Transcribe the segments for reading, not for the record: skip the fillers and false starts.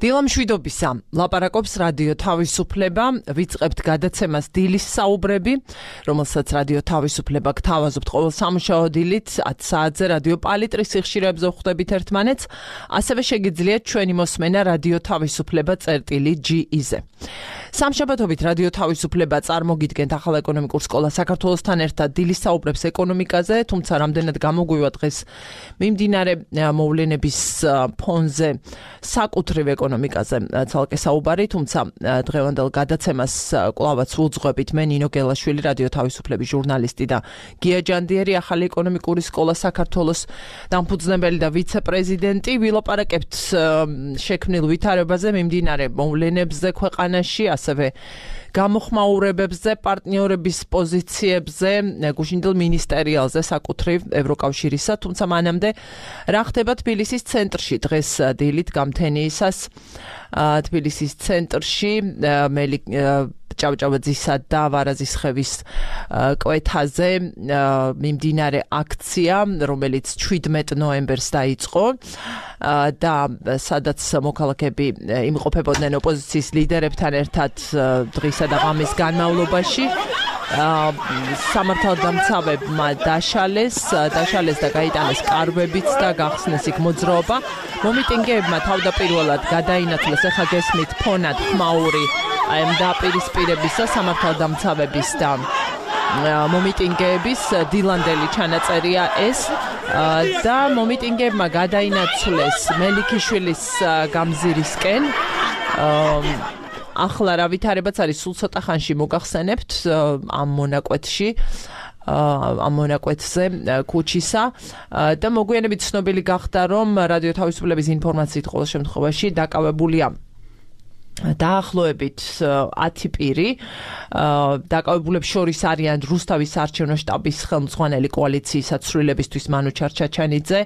დილამშვიდობისა, ლაპარაკობს რადიო თავისუფლება, ვიწყებთ გადაცემას დილის საუბრები, რომელსაც რადიო თავისუფლება გთავაზობთ ყოველ სამუშაო დილით 10 საათზე რადიო პალიტრის სიხშირეებზე ვხვდებით ერთმანეთს, ასევე შეგიძლიათ ჩვენი მოსმენა რადიო თავისუფლება წერტილი.ge-ზე. სამშაბათობით რადიო თავისუფლება წარმოგიდგენთ ახალ ეკონომიკურ სკოლა საქართველოსთან ერთად დილის საუბრებს ეკონომიკაზე, თუმცა რამდენად გამოგვივა დღეს მიმდინარე მოვლენების ფონზე საკუთრივ ეკონომიკაზე ცალკე საუბარი, თუმცა დღევანდელ გადაცემას კვლავაც ვუძღვებით მე ნინო გელაშვილი, რადიო თავისუფლების ჟურნალისტი და გია ჯანდიერი, ახალი ეკონომიკური სკოლა საქართველოს დამფუძნებელი და ვიცე-პრეზიდენტი. ვილაპარაკებთ შექმნილ ვითარებაზე, მიმდინარე მოვლენებზე ქვეყანაში, ასევე გამოხმაურებებზე, პარტნიორების პოზიციებზე, გუშინდელ მინისტერიალზე საკუთრივ ევროკავშირისა, თუმცა მანამდე რა ხდება თბილისის ცენტრში დღეს დილით გამთენიისას თბილისის ცენტრში ჭავჭავაძისა და ვარაზისხევის კვეთაზე მიმდინარე აქცია, რომელიც 17 ნოემბერს დაიწყო და სადაც მოქალაქეები იმყოფებოდნენ ოპოზიციის ლიდერებთან ერთად დღისა და ღამის განმავლობაში. სამართალდამცავებმა დაშალეს და გაიტანეს კარვებიც და გახსნეს იქ მოძრაობა. მომიტინგეებმა თავდაპირველად გადაინაცვლეს, ახლა გესმით ფონად ხმაური ამ დაპირისპირებისა სამართალდამცავების და მომიტინგეების დილანდელი ჩანაწერია ეს და მომიტინგეებმა გადაინაცვლეს მელიქიშვილის გამზირისკენ. ახლა რა ვითარებაც არის, სულ ცოტა ხანში მოგახსენებთ ამ მონაკვეთში, ამ მონაკვეთზე ქუჩისა და მოგვიანებით ცნობილი გახდა, რომ რადიო თავისუფლების ინფორმაციით ყოველ შემთხვევაში დაკავებულია დაახლოებით 10 პირი. დაკავებულებს შორის არიან რუსთავის საარჩევნო შტაბის ხელმძღვანელი კოალიციის საცვლილებისთვის მანუ ჩარჩაჩანიძე,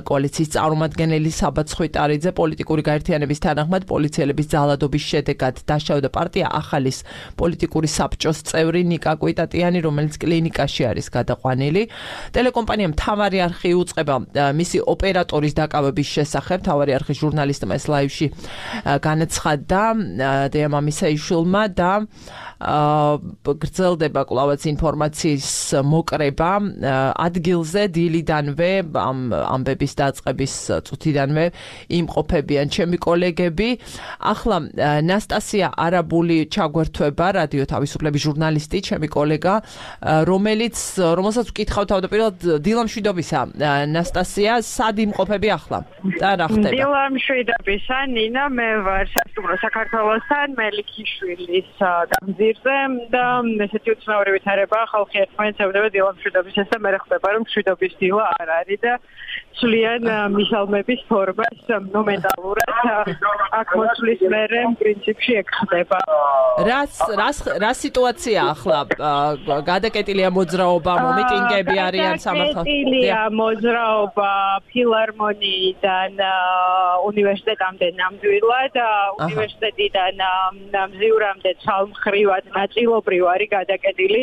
კოალიციის წარმომადგენელი საბა ცხვითარიძე, პოლიტიკური გაერთიანების თანახმად პოლიციელების ძალადობის შედეგად დაშავდა პარტია ახალის პოლიტიკური საბჭოს წევრი ნიკა კვიტატიანი, რომელიც კლინიკაში არის გადაყვანილი. ტელეკომპანია მთავარი არხი უწყება მისი ოპერატორის დაკავების შესახებ. მთავარი არხის ჟურნალისტმა ეს ლაივში განაცხადა დიამამისა იშულმა და გრძელდება კვლავაც ინფორმაციის მოკრება ადგილზე დილიდანვე, ამ ამბების დაწყების წუთიდანვე იმყოფებიან ჩემი კოლეგები. ახლა ნასტასია არაბული ჩაგვერთვება, რადიო თავისუფლების ჟურნალისტი, ჩემი კოლეგა, რომელსაც ვკითხავ თავდაპირველად დილამშვიდობისა. ნასტასია, სად იმყოფები ახლა და რა ხდება? დილამშვიდობისა, ნინა, მე ვარ საქართველოსთან მელიქიშვილის გამზირზე და ესეთი უცნაური ვითარება, ხალხი ერთმანეთს ევდება დილამშვიდობისას და მე ხდება, რომ მშვიდობის დილა არ არის და სულიან მისალმების ფორმას მომენტალურად აქ მოსვლის მერე პრინციპში ეგ ხდება. რა სიტუაცია ახლა? გადაკეტილია მოძრაობა, მომიტინგები არიან სამართალ? გადაკეტილია მოძრაობა ფილარმონიიდან უნივერსიტეტამდე ნამდვილად, უნივერსიტეტიდან მზიურამდე ცალმხრივად ნაწილობრივ არის გადაკეტილი,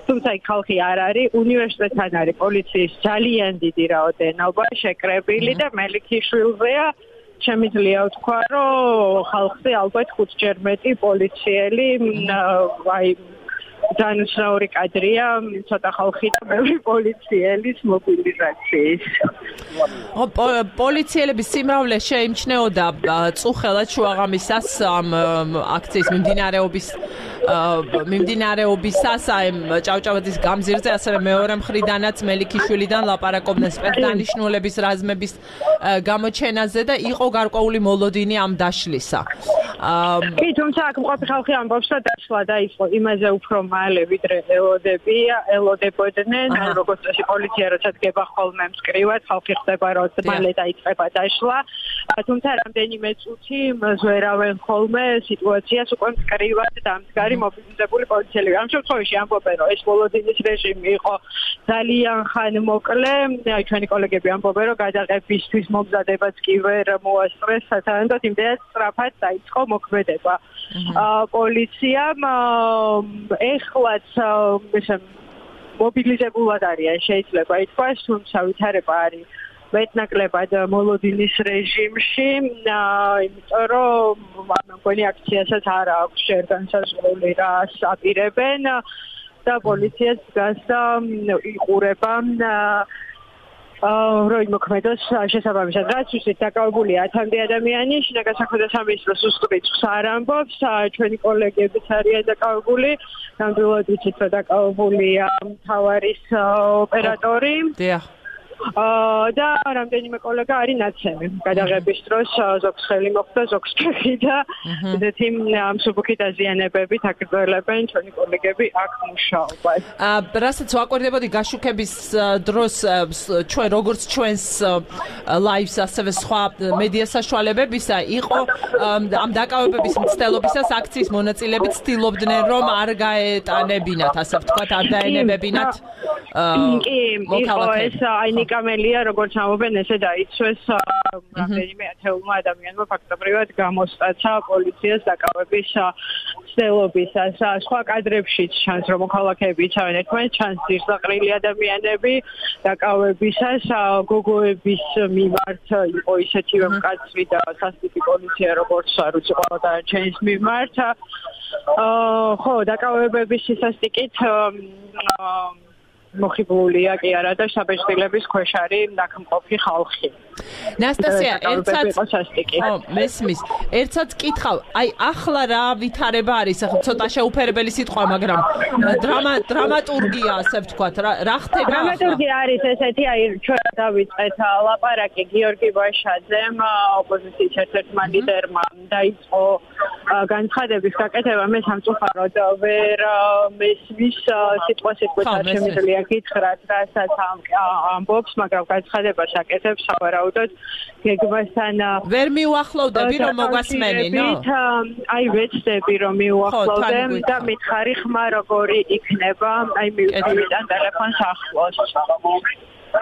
თუმცა იქ ხალხი არ არის. უნივერსიტეტთან არის პოლიციის ძალიან დიდი რაოდენობა შეკრებილი და მელიქიშვილზეა. შემიძლია ვთქვა, რომ ხალხზე ალბათ 5-ჯერ მეტი პოლიციელი, ძალიან უცნაური კადრია, ცოტა ხალხი და ბევრი პოლიციელის მობილიზაციის. პოლიციელების სიმრავლე შეიმჩნეოდა წუხელად შუაღამისას ამ აქციის მიმდინარეობისას ამ ჭავჭავაძის გამზირზე, ასევე მეორე მხრიდანაც მელიქიშვილიდან ლაპარაკობდნენ სპეცდანიშნულების რაზმების გამოჩენაზე და იყო გარკვეული მოლოდინი ამ დაშლისა. კი, თუმცა აქ მყოფი ხალხი ამბობს, რომ დაშლა დაიწყო იმაზე უფრო მალე, ვიდრე ელოდებოდნენ, როგორც წესი პოლიცია როცა დგება ხოლმე მწკრივად, ხალხი ხდება, რომ მალე დაიწყება დაშლა. თუმცა რამდენიმე წუთი მზვერავენ ხოლმე სიტუაციას უკვე მწკრივად დამდგარი მობილიზებული პოლიციელები. ამ შემთხვევაში ამბობენ, რომ ეს მოლოდინის რეჟიმი იყო ძალიან ხანმოკლე. ჩვენი კოლეგები ამბობენ, რომ გადაღებისთვის მომზადებაც კი ვერ მოასწრეს სათანადოდ, იმდენად სწრაფად დაიწყო მოქმედება. პოლიციამ ეხლაც მობილიზებულად არიან, შეიძლება ითქვას, თუმცა ვითარება არის მეტნაკლებად მოლოდინის რეჟიმში, იმიტომ რომ მგონი აქციასაც არ აქვს ჯერ განსაზღვრული რას აპირებენ და პოლიციაც დგას და იყურება რომ მოქმედოს შესაბამისად. რაც ვისით დაკავებულია 1000 ადამიანი, შინაგან საქმეთა სამინისტროს რიცხვს არ ამბობს, ჩვენი კოლეგებიც არიან დაკავებული, ნამდვილად ვიცით რომ დაკავებულია მთავარის ოპერატორი. და რამდენიმე კოლეგა არის ნაცემი. გადაღების დროს ზოგს ხელი მოხდა, ზოგს ფეხი და ესეთი მსუბუქი დაზიანებებით აგრძელებენ ჩვენი კოლეგები აქ მუშაობას. რასაც ვაკვირდებოდი გაშუქების დროს ჩვენ როგორც ჩვენს ლაივს ასევე სხვა მედია საშუალებებისა იყო ამ დაკავებების მცდელობისას აქციის მონაწილეები ცდილობდნენ რომ არ გაეტანებინათ, ასე ვთქვათ, არ დაენებებინათ მოქალაქეებს. კამელია როგორც ამობენ ესე დაიცვეს რამდენიმე ათეულმა ადამიანმა ფაქტობრივად გამოსტაცა პოლიციას დაკავების ცდილობისას. სხვა კადრებშიც ჩანს რომ მოქალაქეები იცავენ ერთმანეთს, ჩანს ძირსაყრილი ადამიანები დაკავებისას გოგოების მიმართ იყო ისეთივე მკაცრი და სასტიკი პოლიცია როგორც არ ვიცი ყველა დანარჩენის მიმართ. ხო, დაკავებების სასტიკით მოხიბლულია კი არა და საბეჭდილების ქვეშ არის ნაკმყოფი ხალხი. ნასტასია, მესმის. ერთსაც კითხავ, აი ახლა რა ვითარება არის, ახლა ცოტა შეუფერებელი სიტყვა, მაგრამ დრამატურგია, ასე ვთქვათ, რა ხდება? დრამატურგია არის ესეთი, აი ჩვენ დავიწყეთ ლაპარაკი გიორგი ბაშაძემ, ოპოზიციის ერთ-ერთმა ლიდერმა დაიწყო განცხადების გაკეთება, მე სამწუხაროდ ვერ მესმის სიტყვას არ შემიძლია გითხრათ, რასაც ამბობს, მაგრამ განცხადებას აკეთებს სავარაუდოდ გეგმასთან ვერ მიუახლოვდები რომ მოგვასმენინო? აი ვეცდები რომ მიუახლოვდე და მითხარი ხმა როგორი იქნება, აი მივიტან ტელეფონს ახლოს.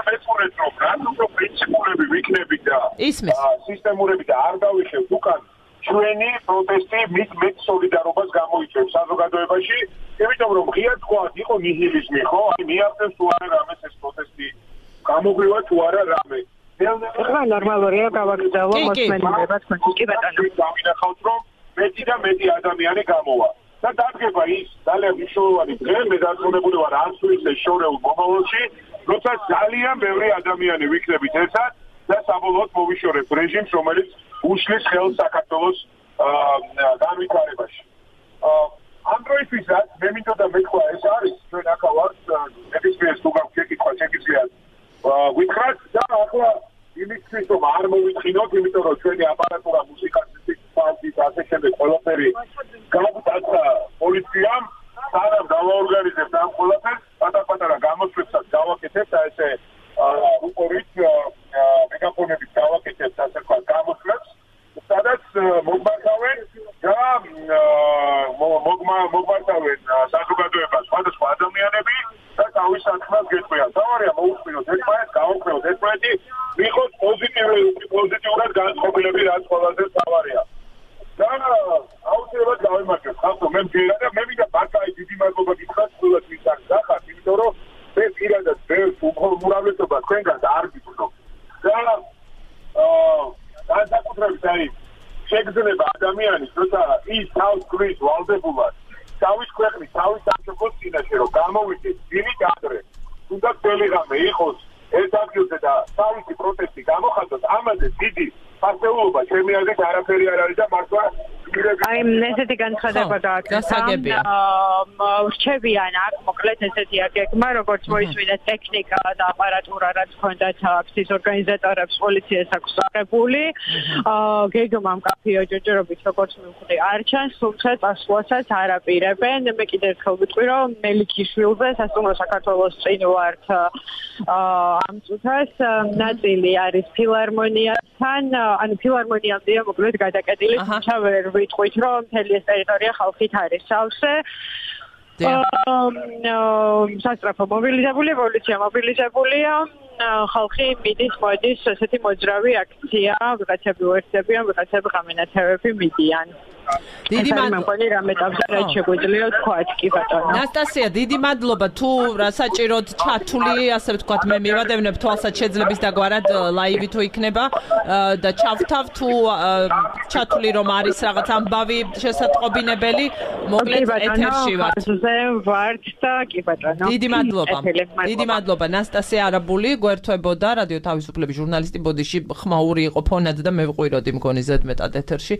მეცურეთ რომ რატო პრინციპულები ვიქნებით და სისტემურები და არ დავიხევთ უკან ჩვენი პროტესტი მით სოლიდარობას გამოიწვევს საზოგადოებაში, იმიტომ რომ ღია თქვათ იყო ნიჰილიზმი, ხო? აი მიაღწევს თუ არა რამეს ეს პროტესტი გამოგვივა თუ არა რამე. ახლა ნორმალურია გავაგრძელო მოსმენინება თქვენ კი ბატონო. დავინახავთ რომ მეტი და მეტი ადამიანი გამოვა. და დადგება ის ძალიან მნიშვნელოვანი დღე, მე დარწმუნებული ვარ არც თუ ისე შორეულ მომავალში, როცა ძალიან ბევრი ადამიანი ვიქნებით ერთად და საბოლოოდ მოვიშორებთ რეჟიმს, რომელიც უშლის ხელს საქართველოს განვითარებაში. ამ დროისთვისაც მე მინდოდა მეთქვა ეს არის ჩვენ ახლა ვართ ნებისმიერს თუ გაქვთ შეკითხვა შეგიძლიათ ვითხრათ და ახლა იმისთვის რომ არ მოვიწყინოთ, იმიტომ რომ ჩვენი აპარატურა მუსიკასის ფანტი და ასე შემდეგ ყველაფერი გავუტაცა პოლიციამ, სანამ დავაორგანიზებთ ამ ყველაფერს, პატარ-პატარა გამოსვლებსაც გავაკეთებთ და ესე უყურით მეგაფონებით გავაკეთებთ ასე ვთქვათ გამოსვლებს, სადაც მოგმართავენ და მოგმართავენ საზოგადოებას სხვადასხვა ადამიანები და თავის საქმეს გეტყვიან. თავარია მოусმინოთ ერთმანეთს, გავუქმოთ ერთმანეთი, მიხოთ პოზიტიურად განწყობილები, რაც ყველაზე თავარია. და აუცილებლად გავიმარჯვებ ხალხო, მე მგერა და მე მინდა ბაკაი დიდი მადლობა გითხრათ ყველას მისახ დახართ, იმიტომ რომ მე პირადად ბევრს უმრავლესობა თქვენგან არ გიწყობ. და განსაკუთრებით აი შეგრძნება ადამიანის, როცა ის თავს გვრის ვალდებულად თავის ქვეყნის, თავის სამშობლოს წინაშე რომ გამოვიდეს დილით ადრე, თუნდაც ძველი ღამე იყოს ერთ ადგილზე და თავისი პროტესტი გამოხატოთ, ამაზე დიდი ფასეულობა ჩემი აზრით არაფერი არ არის და მართლა აი ესეთი განცხადება გააკეთა. რჩებიან აქ მოკლედ ესეთი აგეგმა, როგორც მოისმინეთ ტექნიკა და აპარატურა, რაც ჰქონდათ აქციის ორგანიზატორებს, პოლიციას აქვს აღებული. გეგმა მკაფიო ჯერჯერობით როგორც მივხვდი არ ჩანს, თუმცა წასვლასაც არ აპირებენ. მე კიდევ ერთხელ ვიტყვი, რომ მელიქიშვილზე სასტუმრო საქართველოს წინ ვართ ამ წუთას ნაწილი არის ფილარმონიასთან, ანუ ფილარმონიამდეა მოკლედ გადაკეტილი, თუმცა ვერ ვიტყვით, რომ მთელი ეს ტერიტორია ხალხით არის სავსე. სასტრაფო მობილიზებულია, პოლიცია მობილიზებულია, ხალხი მიდის, მოდის, ესეთი მოძრავი აქცია, ვიღაცები უერთდებიან, ვიღაცები ღამენათევები მიდიან. დიდი მადლობა რამე ტაბზე რაც შეგვიძლია თქვათ კი ბატონო ნასტასია დიდი მადლობა თუ საჭიროდ ჩართული ასე ვთქვათ მე მივადევნებ თვალსაჩინო შეძლების დაგვარად ლაივი თუ იქნება და ჩავთავ თუ ჩათვლი რომ არის რაღაც ამბავი შესაწყობინებელი მოკლედ ეთერში ვართ და კი ბატონო დიდი მადლობა ნასტასია არაბული გვერდთვებოდა რადიო თავისუფლების ჟურნალისტი ბოდიში ხმაური იყო ფონად და მე ვყვიროდი მგონი ზედმეტად ეთერში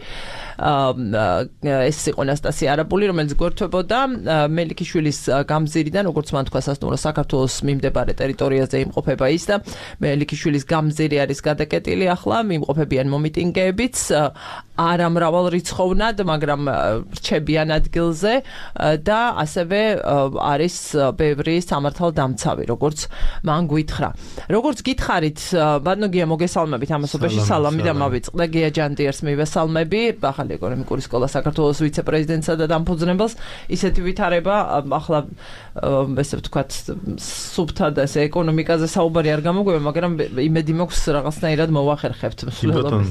ეს იყო ნასტასია არაბული რომელიც გვერდთვებოდა მელიქიშვილის გამზირიდან როგორც მან თქვა სასტუმრო საქართველოს მიმდებარე ტერიტორიაზე იმყოფება ის და მელიქიშვილის გამზირი არის გადაკეტილი ახლა მიმყოფებიან მომიტინგეებიც არა მრავალრიცხოვნად მაგრამ რჩებიან ადგილზე და ასევე არის ბევრი სამართალდამცავი როგორც მან გითხრა როგორც გითხარით ბატონო მოგესალმებით ამასობაში სალამი და მავიწყდა გია ჯანდიერს მივესალმები ახალი ეკონომიკური სკოლა საქართველოს ვიცე-პრეზიდენტსა და დამფუძნებელს ისეთი ვითარება ახლა ესე ვთქვათ სუბთა და ესე ეკონომიკაზე საუბარი არ გამოგვივა მაგრამ იმედი მაქვს რაღაცნაირად მოვახერხებთ მსვლელობას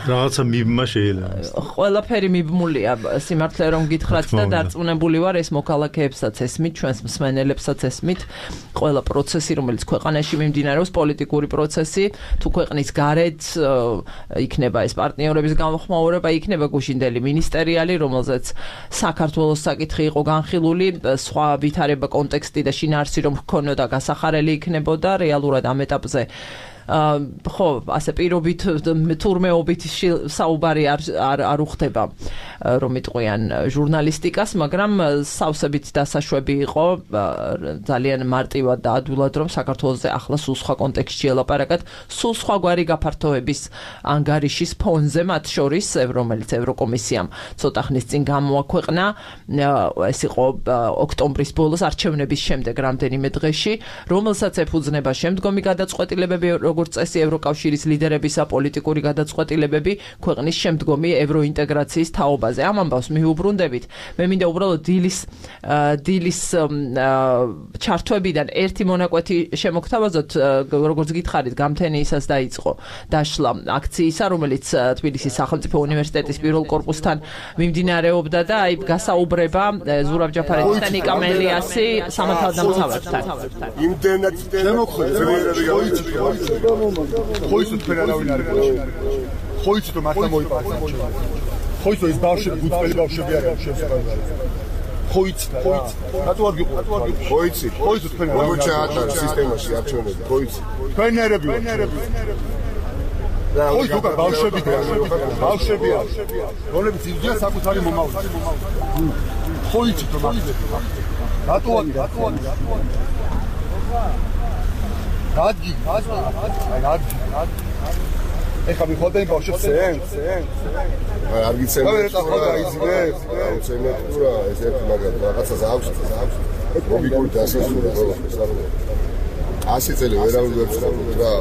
რაღაცა მიბმა შეიძლება ყველაფერი მიბმულია სიმართლე რომ გითხრათ და დარწმუნებული ვარ ეს მოქალაქეებსაც ესმით ჩვენს მსმენელებსაც ესმით ყველა პროცესი რომელიც ქვეყანაში მიმდინარეობს პოლიტიკური პროცესი თუ ქვეყნის გარეთ იქნება ეს პარტნიორების გამოხმაურება იქნება გუშინდელი მინისტერიალი რომელზეც საქართველოს საკითხი იყო განხილული სხვა ვითარება კონტექსტი და შინაარსი რომ ჰქონოდა გასახარელი იქნებოდა რეალურად ამ ეტაპზე ხო ასე პირობით თურმეობით საუბარი არ უხდება რომ იტყვიან ჟურნალისტიკას მაგრამ სავსებით დასაშვები იყო ძალიან მარტივად და ადვილად რომ საქართველოსზე ახლა სულ სხვა კონტექსტში ელაპარაკათ სულ სხვაგვარი გაფართოების ანგარიშის ფონზე მათ შორის რომელიც ევროკომისიამ ცოტა ხნის წინ გამოაქვეყნა ეს იყო ოქტომბრის ბოლოს არჩევნების შემდეგ რამდენიმე დღეში რომელსაც ეფუძნება შემდგომი გადაწყვეტილებები როგორც წესი ევროკავშირის ლიდერებისა პოლიტიკური გადაწყვეტილებები ქვეყნის შემდგომი ევროინტეგრაციის თაობაზე. ამ ამბავს მიუბრუნდებით. მე მინდა უბრალოდ დილის ჩართვებიდან ერთი მონაკვეთი შემოგთავაზოთ, როგორც გითხარით, გამთენიისას დაიწყო დაშლა აქციისა, რომელიც თბილისის სახელმწიფო უნივერსიტეტის პირველ კორპუსთან მიმდინარეობდა და აი გასაუბრება ზურაბ ჯაფარიძის და ნიკა მელიასი სამართალდამცავებთან. იმდენად ხოიცით ფერარავინ არის ხოიცით რომ მართლა მოიპარეს ხოიცით ის ბავშვები გუწელი ბავშვები არიან შესაძლებელი ხოიცით რატო არ გიყო ხოიცით თქვენ როგორ ჩაატარეთ სისტემაში არჩევნები ხოიცით თქვენ ნერები ხოიცით უკვე ბავშვები რომლებიც იძია საკუთარი მომავალი ხოიცით რომ რატო გადი ეხა მიხოდნენ ბავშვებს არ გიცემ რა ეს ერთი მაგალითად რაღაცას აქვს ლოგიკური დასასრული ასე წელი ვერავინ ვერ ცხოვრობ რა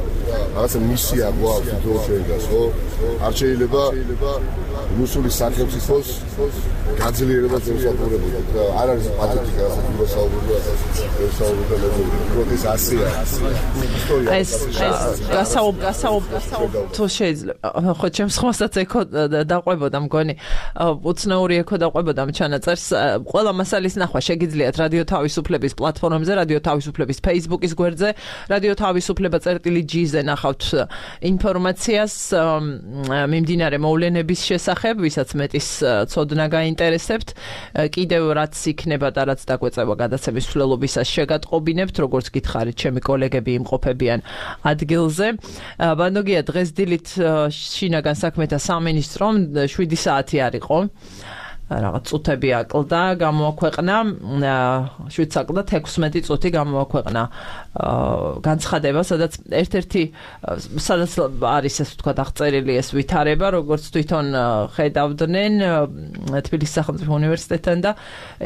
რაღაცა მისია გვაქვს თვითონჩენგას ხო არ შეიძლება რუსული სახელმწიფოს გაძლიერებას ემსახურებოდა და არ არის პათეტიკა რასაც მოსაუბრია პროტეს ასეა ეს თუ შეიძლება ხო ჩემს ხმასაც ეკო დაყვებოდა მგონი უცნაური ეკო დაყვებოდა ამ ჩანაწერს ყველა მასალის ნახვა შეგიძლიათ რადიო თავისუფლების პლატფორმებზე რადიო თავისუფლების Facebook-ის გვერდზე რადიო თავისუფლება.gz-ზე ნახავთ ინფორმაციას მიმდინარე მოვლენების შესახებ ვისაც მეტის ცოდნა გაინტერესებთ კიდევ რაც იქნება და რაც დაგვეწევა გადაცემის მსვლელობისას შეგატყობინებთ როგორც გითხარით ჩემი კოლეგები იმყოფებიან ადგილზე ბანოგია დღეს დილით შინაგან საქმეთა სამინისტრომ 7 საათი არ იყო რაღაც წუთები აკლდა გამოაქვეყნა 7 საკლდა 16 წუთი გამოაქვეყნა განცხადება სადაც ერთ-ერთი სადაც არის ეს თქვა აღწერილი ეს ვითარება როგორც თვითონ ხედავდნენ თბილისის სახელმწიფო უნივერსიტეტთან და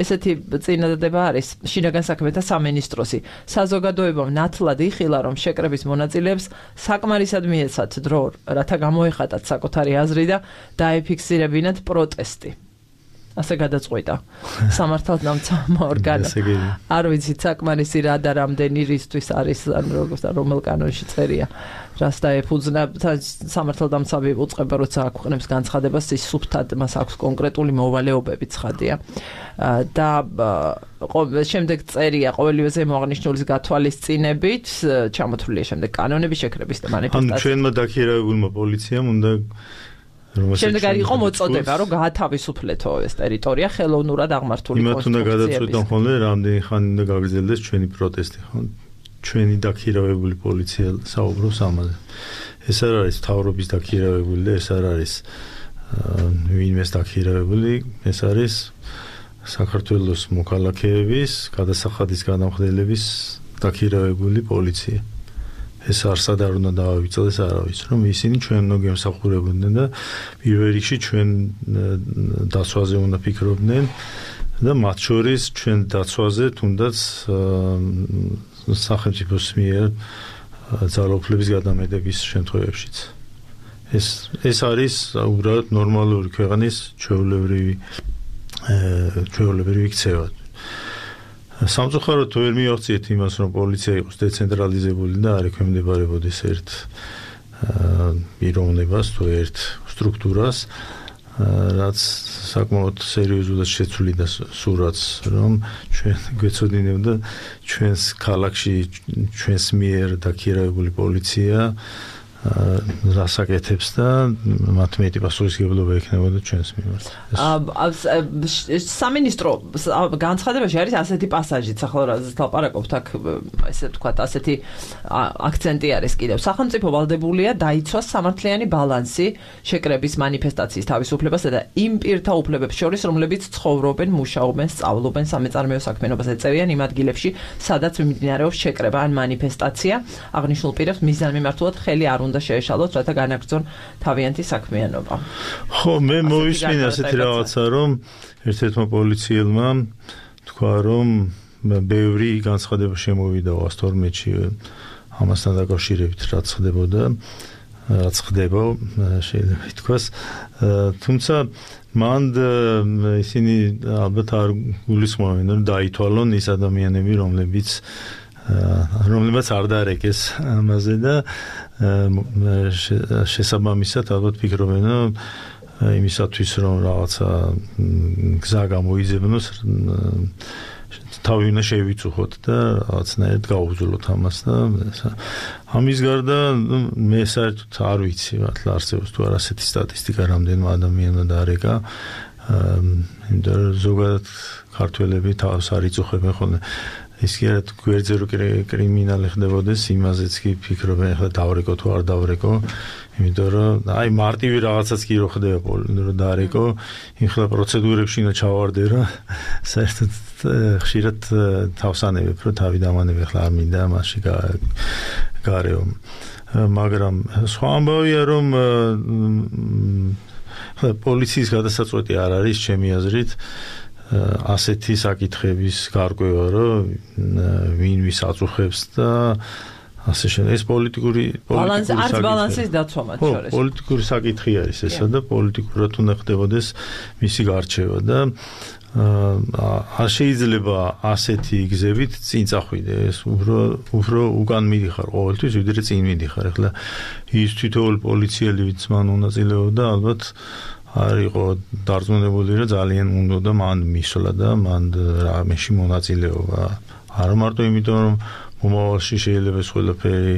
ესეთი წინადადება არის შინაგან საქმეთა სამინისტროსი საზოგადოებამ ნათლად იხილა რომ შეკრების მონაწილეებს საკმარისად მიეცათ დრო რათა გამოეხატათ საკუთარი აზრი და დაეფიქსირებინათ პროტესტი ასე გადაწყვიტა სამართალდამცავ ორგანო. არ ვიცით საკმარისი რა და რამდენი რისთვის არის რომელ კანონში წერია. რას დაეფუძნა სამართალდამცავი უწყება როცა აქვეყნებს განცხადებას ის სუფთად მას აქვს კონკრეტული მოვალეობები ცხადია. და შემდეგ წერია ყოველივე ზემოაღნიშნულის გათვალისწინებით ჩამოთვლილია შემდეგ კანონების შეკრების და მანიფესტაციის. ანუ ჩვენმა დაქირავებულმა პოლიციამ უნდა შემდეგ არ იყო მოწოდება რომ გაათავისუფლეთო ეს ტერიტორია ხელოვნურად აღმართული კონსტრუქციების. იმათ უნდა გადაწყვეტონ ხოლმე რამდენი ხანი უნდა გაგრძელდეს ჩვენი პროტესტი ხო? ჩვენი დაქირავებული პოლიცია საუბრობს ამაზე. ეს არ არის მთავრობის დაქირავებული და ეს არ არის ვინმეს დაქირავებული, ეს არის საქართველოს მოქალაქეების გადასახადის გადამხდელების დაქირავებული პოლიცია. ეს არსად არ უნდა დავავიწყდეს არავის, რომ ისინი ჩვენ უნდა გემსახურებოდნენ და პირველ რიგში ჩვენ დაცვაზე უნდა ფიქრობდნენ და მათ შორის ჩვენ დაცვაზე თუნდაც სახელმწიფოს მიერ ძალაუფლების გადამეტების შემთხვევებშიც. ეს არის უბრალოდ ნორმალური ქვეყნის ჩვეულებრივი ქცევა. სამწუხაროდ ვერ მივახციეთ იმას, რომ პოლიცია იყოს დეცენტრალიზებული და არ ექვემდებარებოდეს ერთ პიროვნებას თუ ერთ სტრუქტურას, რაც საკმაოდ სერიოზულად შეცვლიდა სურათს, რომ ჩვენ გვეცოდინებდა ჩვენს ქალაქში ჩვენს მიერ დაქირავებული პოლიცია რასაკეთებს და მათ მეტი პასუხისმგებლობა ექნებოდა ჩვენს მიმართ. სამინისტრო განცხადებაში არის ასეთი პასაჟიც, ახლა რაზეც ლაპარაკობთ, აქ ესე ვთქვათ, ასეთი აქცენტი არის კიდევ. სახელმწიფო ვალდებულია დაიცვას სამართლიანი ბალანსი შეკრების მანიფესტაციის თავისუფლებასა და იმ პირთა უფლებებს შორის, რომლებიც ცხოვრობენ, მუშაობენ, სწავლობენ სამეწარმეო საქმიანობას ეწევიან იმ ადგილებში, სადაც მიმდინარეობს შეკრება ან მანიფესტაცია. აღნიშნულ პირებს მიზანმიმართულად ხელი არ უნდა შეეშალოთ, რათა განაგრძონ თავიანთი საქმიანობა. ხო, მე მოვისმინე ასეთი რაღაცა, რომ ერთ-ერთმა პოლიციელმა თქვა, რომ ბევრი განცხადება შემოვიდა 112-ში ამასთან დაკავშირებით, რაც ხდებოდა, რაც ხდება, შეიძლება ითქვას, თუმცა მან ისინი ალბათ არ გულისხმობენ, რომ დაითვალონ ის ადამიანები, რომლებიც არ დაარეკეს ამაზე და შესაბამისად ალბათ ფიქრობენ, რომ იმისათვის რომ რაღაცა გზა გამოიძებნოს თავი უნდა შევიწუხოთ და რაღაცნაირად გავუძლოთ ამას და ამის გარდა მე საერთოდ არ ვიცი მართლა არსებობს თუ არა ასეთი სტატისტიკა რამდენმა ადამიანმა დაარეკა იმიტომ რომ ზოგადად ქართველები თავს არ იწუხებენ ხოლმე ის კი არა გვერდზე რო კრიმინალი ხდებოდეს იმაზეც კი ფიქრობენ ახლა დავრეკო თუ არ დავრეკო იმიტომ რომ აი მარტივი რაღაცაც კი რო ხდება რომ დაარეკო ეხლა პროცედურებში უნდა ჩავარდე რა საერთოდ ხშირად თავსანებებ რომ თავი დამანებ ახლა არ მინდა მასში გარეო მაგრამ სხვა ამბავია რომ პოლიციის გადასაწყვეტი არ არის ჩემი აზრით ასეთი საკითხების გარკვევა რომ ვინ ვის აწუხებს და ასე შემდეგ ეს პოლიტიკური ბალანსის დაცვა მათ შორის პოლიტიკური საკითხი არის ესა და პოლიტიკურად უნდა ხდებოდეს მისი გარჩევა და არ შეიძლება ასეთი გზებით წინ წახვიდე ეს უფრო უკან მიდიხარ ყოველთვის ვიდრე წინ მიდიხარ ახლა ის თითოეული პოლიციელი ვინც მან მონაწილეობდა ალბათ არ იყო დარწმუნებული რომ ძალიან უნდა და მან მისვლა და მან რამეში მონაწილეობა არა მარტო იმიტომ რომ მომავალში შეიძლება ეს ყველაფერი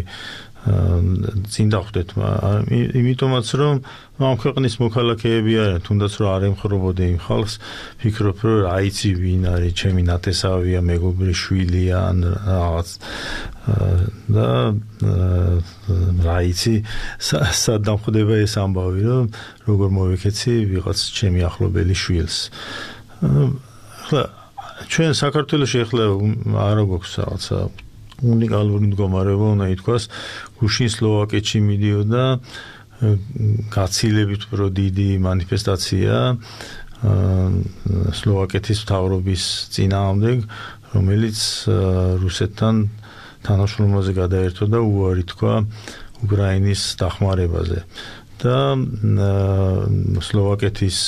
წინ დახვდეთ იმიტომაც რომ ამ ქვეყნის მოქალაქეები არიან თუნდაც რომ არ ემხრობოდე იმ ხალხს ფიქრობ რომ რა იცი ვინ არის ჩემი ნათესავია მეგობრი შვილია ან რაღაც და რა იცი სად დამხვდება ეს ამბავი რომ როგორ მოვეკეცი ვიღაც ჩემი ახლობელი შვილს ახლა ჩვენ საქართველოში ახლა არ გვაქვს რაღაცა უნიკალური მდგომარეობა უნდა ითქვას გუშინ სლოვაკეთში მიდიოდა გაცილებით უფრო დიდი მანიფესტაცია სლოვაკეთის მთავრობის წინააღმდეგ რომელიც რუსეთთან თანამშრომლობაზე გადაერთო და უარი თქვა უკრაინის დახმარებაზე და სლოვაკეთის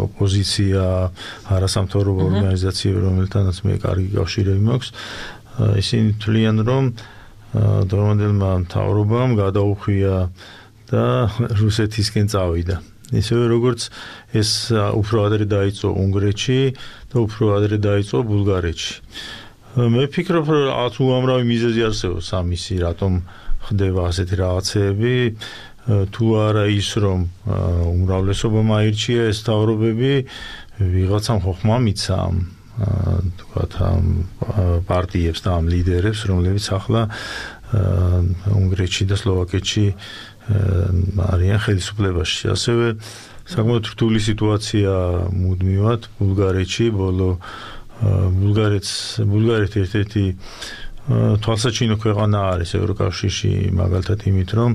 ოპოზიცია არასამთავრობო ორგანიზაციები, რომელთანაც მე კარგი კავშირები მაქვს, ისინი თვლიან, რომ დღევანდელმა მთავრობამ გადაუხვია და რუსეთისკენ წავიდა. ისევე როგორც ეს უფრო ადრე დაიწყო უნგრეთში და უფრო ადრე დაიწყო ბულგარეთში. მე ვფიქრობ, რომ უამრავი მიზეზი არსებობს ამისი, რატომ ხდება ასეთი რაღაცეები, თუ არა ის, რომ უმრავლესობამ აირჩია ეს მთავრობები, ვიღაცამ ხოხმა მიცა თქვათ ამ პარტიებს და ამ ლიდერებს, რომლებიც ახლა უნგრეთში და სლოვაკეთში არიან ხელისუფლებაში. ასევე საკმაოდ რთული სიტუაცია მუდმივად ბულგარეთში, ბულგარეთი ერთ-ერთი თვალსაჩინო ქვეყანა არის ევროკავშირში, მაგალითად იმით, რომ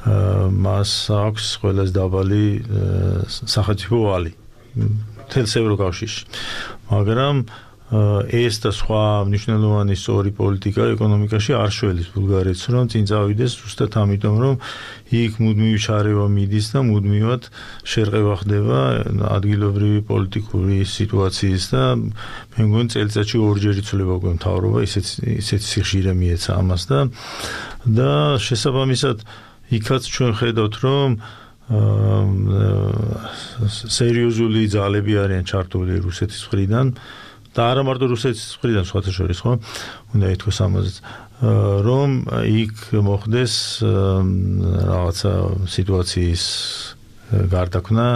მას აქვს ყველაზე დაბალი სახელმწიფო ვალი მთელს ევროკავშირში. მაგრამ ეს და სხვა მნიშვნელოვანი სწორი პოლიტიკა ეკონომიკაში არ შველის ბულგარეთს, რომ წინ წავიდეს ზუსტად ამიტომ, რომ იქ მუდმივი შარევა მიდის და მუდმივად შერყევა ხდება ადგილობრივი პოლიტიკური სიტუაციის და მე მგონი წელიწადში ორჯერ იცვლება უკვე მთავრობა, ისეთი სიხშირე მიეცა ამას და შესაბამისად იქაც ჩვენ ხედავთ, რომ სერიოზული ძალები არიან ჩართული რუსეთის მხრიდან და არა მარტო რუსეთის მხრიდან, სხვათა შორის, ხო? უნდა ითქვას ამაზეც, რომ იქ მოხდეს რაღაცა სიტუაციის გარდაქმნა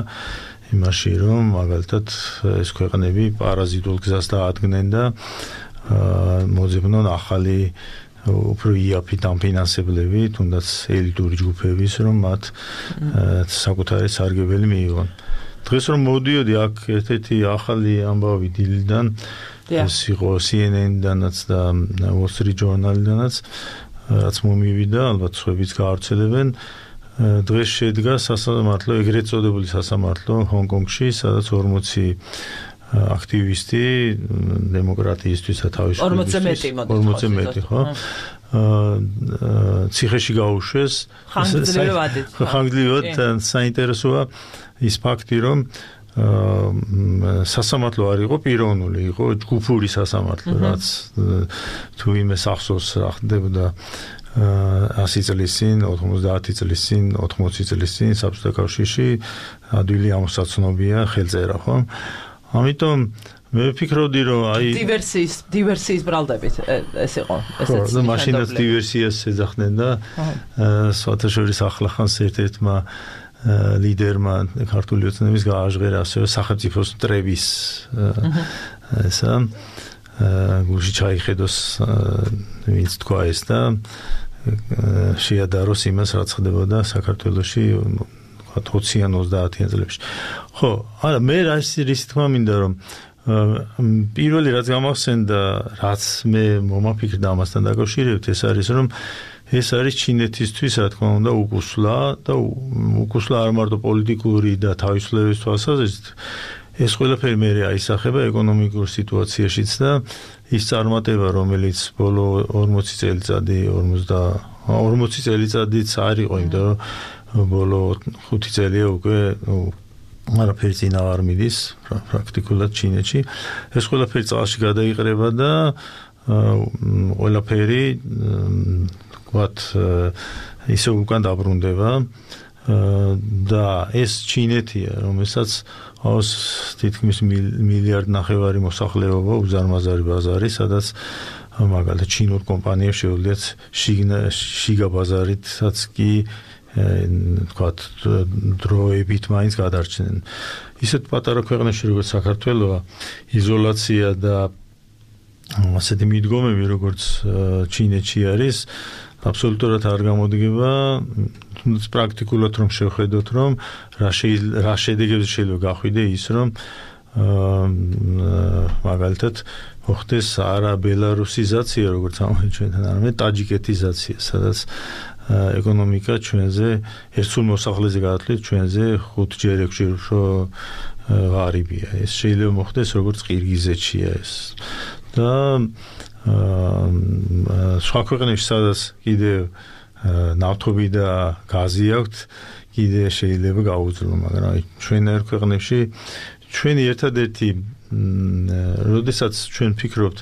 იმაში, რომ მაგალითად ეს ქვეყნები პარაზიტულ გზას დაადგნენ და მოძებნონ ახალი უფრო იაფი დამფინანსებლები, თუნდაც ელიტური ჯგუფების, რომ მათ საკუთარი სარგებელი მიიღონ. დღეს რომ მოდიოდი აქ ერთ-ერთი ახალი ამბავი დილიდან, ეს იყო CNN-დანაც და Wall Street Journal-დანაც, რაც მომივიდა, ალბათ სხვაებიც გაავრცელებენ. დღეს შედგა სასამართლო, ეგრეთ წოდებული სასამართლო ჰონკონგში, სადაც 40 აქტივისტი დემოკრატიისთვის და თავისუფლების 40 მეტი, ხო? ციხეში გაუშვეს. ხანგრძლივად საინტერესოა ის ფაქტი, რომ სასამართლო არ იყო პიროვნული, იყო ჯგუფური სასამართლო, რაც თუ იმეს ახსოვს რა ხდებოდა 100 წლის წინ, 90 წლის წინ, 80 წლის წინ საბჭოთა კავშირში ადვილი ამოსაცნობია ხელწერა, ხო? ამიტომ მე ვფიქრობდი, რომ აი დივერსიის ბრალდებით ეს იყო, ესეც და მაშინაც დივერსიას ეძახდნენ და სხვათა შორის ახლახანს ერთ-ერთმა ლიდერმა ქართული ოცნების გააჟღერა ასევე სახელმწიფოს მტრების ესა გულში ჩაიხედოს ვინც თქვა ეს და შეადაროს იმას, რაც ხდებოდა საქართველოში 20-იან 30-იან წლებში. ხო, არა, მე რისი თქმა მინდა, რომ პირველი რაც გამახსენდა, რაც მე მომაფიქრდა ამასთან დაკავშირებით, ეს არის, რომ ეს არის ჩინეთისთვის, რა თქმა უნდა, უკუსლა და უკუსლა არ მარტო პოლიტიკური და თავისუფლების თვალსაზრისით, ეს ყველაფერი მე აისახება ეკონომიკურ სიტუაციაშიც და ის წარმატება, რომელიც ბოლო 40 წელიწადიც არ იყო, იმიტომ რომ ბოლო 5 წელია უკვე არაფერი წინა არ მიდის პრაქტიკულად ჩინეთში. ეს ყველაფერი წალში გადაიყრება და ყველაფერი ვთქვათ ისე უკან დაბრუნდება და ეს ჩინეთია, რომელსაც ავს თითქმის მილიარდ ნახევარი მოსახლეობა, უზარმაზარი ბაზარი, სადაც მაგალითად ჩინურ კომპანიებს შეუძლიათ შიგა ბაზარითაც კი ვთქვათ დროებით მაინც გადარჩნენ. ისეთ პატარა ქვეყნებში როგორც საქართველოა, იზოლაცია და ასეთი მიდგომები როგორც ჩინეთში არის, აბსოლუტურად არ გამოდგება, თუნდაც პრაქტიკულად რომ შევხედოთ, რომ რა შედეგებს შეიძლება გახვიდე ის, რომ მაგალითად მოხდეს არა ბელარუსიზაცია, როგორც ამოჩვენთან, არამედ ტაჯიკეთიზაცია, სადაც ეკონომიკა ჩვენზე ერთსულ მოსახლეზე გადათვლით ჩვენზე 5-ჯერ 6-ჯერ უფრო ღარიბია. ეს შეიძლება მოხდეს როგორც ყირგიზეთშია ეს. და სხვა ქვეყნებში, სადაც კიდევ ნავთობი და გაზი აქვთ, კიდე შეიძლება გაუძლო, მაგრამ ჩვენ ერთ ქვეყნებში ჩვენი ერთადერთი როდესაც ჩვენ ფიქრობთ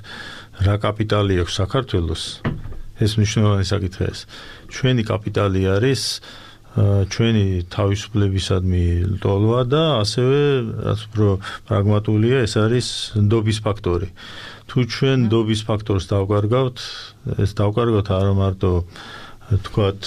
რა კაპიტალი აქვს საქართველოს, ეს მნიშვნელოვანი საკითხია. ჩვენი კაპიტალი არის ჩვენი თავისუფლებისადმი ლტოლვა და ასევე რაც უფრო პრაგმატულია, ეს არის ნდობის ფაქტორი. თუ ჩვენ ნდობის ფაქტორს დავკარგავთ, ეს დავკარგავთ არა მარტო თქვათ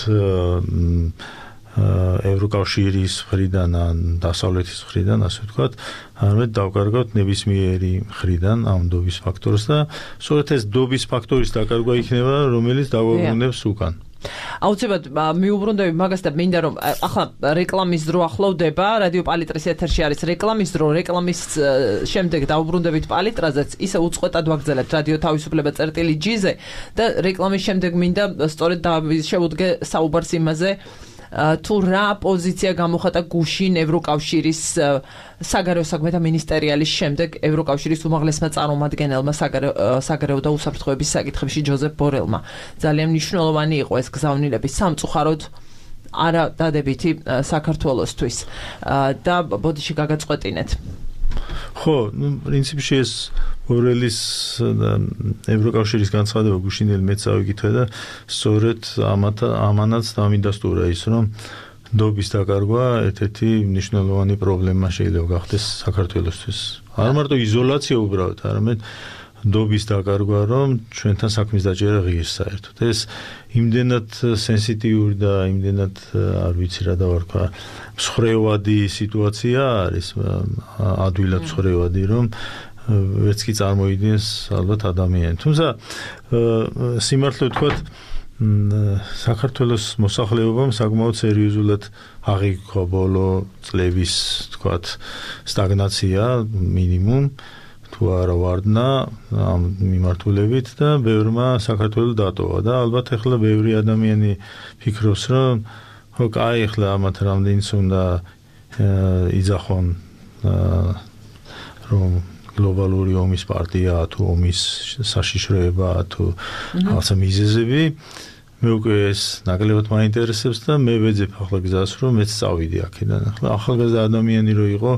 ევროკავშირის მხრიდან ან დასავლეთის მხრიდან, ასე ვთქვათ, არამედ დავკარგავთ ნებისმიერი მხრიდან ამ ნდობის ფაქტორს და სწორედ ეს ნდობის ფაქტორის დაკარგვა იქნება, რომელიც დაგვაბრუნებს უკან. აუცილებლად მიუბრუნდები მაგას და მინდა რომ ახლა რეკლამის დრო ახლოვდება, რადიო პალიტრის ეთერში არის რეკლამის დრო, რეკლამის შემდეგ დავუბრუნდებით პალიტრაზეც, ისე უწყვეტად ვაგრძელებთ რადიო თავისუფლება წერტილი-G-ზე და რეკლამის შემდეგ მინდა სწორედ შევუდგე საუბარს იმაზე, თუ რა პოზიცია გამოხატა გუშინ ევროკავშირის საგარეო საქმეთა მინისტერიალის შემდეგ ევროკავშირის უმაღლესმა წარმომადგენელმა საგარეო და უსაფრთხოების საკითხებში ჯოზეფ ბორელმა. ძალიან მნიშვნელოვანი იყო ეს გზავნილების სამწუხაროდ არა დადებითი საქართველოსთვის და ბოდიში გაგაწყვეტინეთ. ხო, პრინციპში ეს ბორელის ევროკავშირის განცხადება გუშინელი მეც ავიკითხე და სწორედ ამანაც დამიდასტურა ის, რომ ნდობის დაკარგვა ერთ-ერთი მნიშვნელოვანი პრობლემა შეიძლება გახდეს საქართველოსთვის. არ მარტო იზოლაცია უბრალოდ, არამედ ნდობის დაკარგვა, რომ ჩვენთან საქმის დაჭერა ღირს საერთოდ. ეს იმდენად სენსიტიური და იმდენად არ ვიცი რა დავარქვა, მსხრევადი სიტუაცია არის, ადვილად მსხრევადი, რომ ვერც კი წარმოიდგენს ალბათ ადამიანი. თუმცა სიმართლე ვთქვათ, საქართველოს მოსახლეობამ საკმაოდ სერიოზულად აღიქვა ბოლო წლების ვთქვათ სტაგნაცია მინიმუმ თუ არა ვარდნა ამ მიმართულებით და ბევრმა საქართველოს დატოვა და ალბათ ახლა ბევრი ადამიანი ფიქრობს, რომ ხო, კაი, ახლა ამათ რამდენიც უნდა იძახონ რომ გლობალური ომის პარტია თუ ომის საშიშროება თუ რაღაცა მიზეზები, მე უკვე ეს ნაკლებად მაინტერესებს და მე ვეძებ ახლა გზას, რომ მეც წავიდე აქედან. ახლა ახალგაზრდა ადამიანი რო იყო,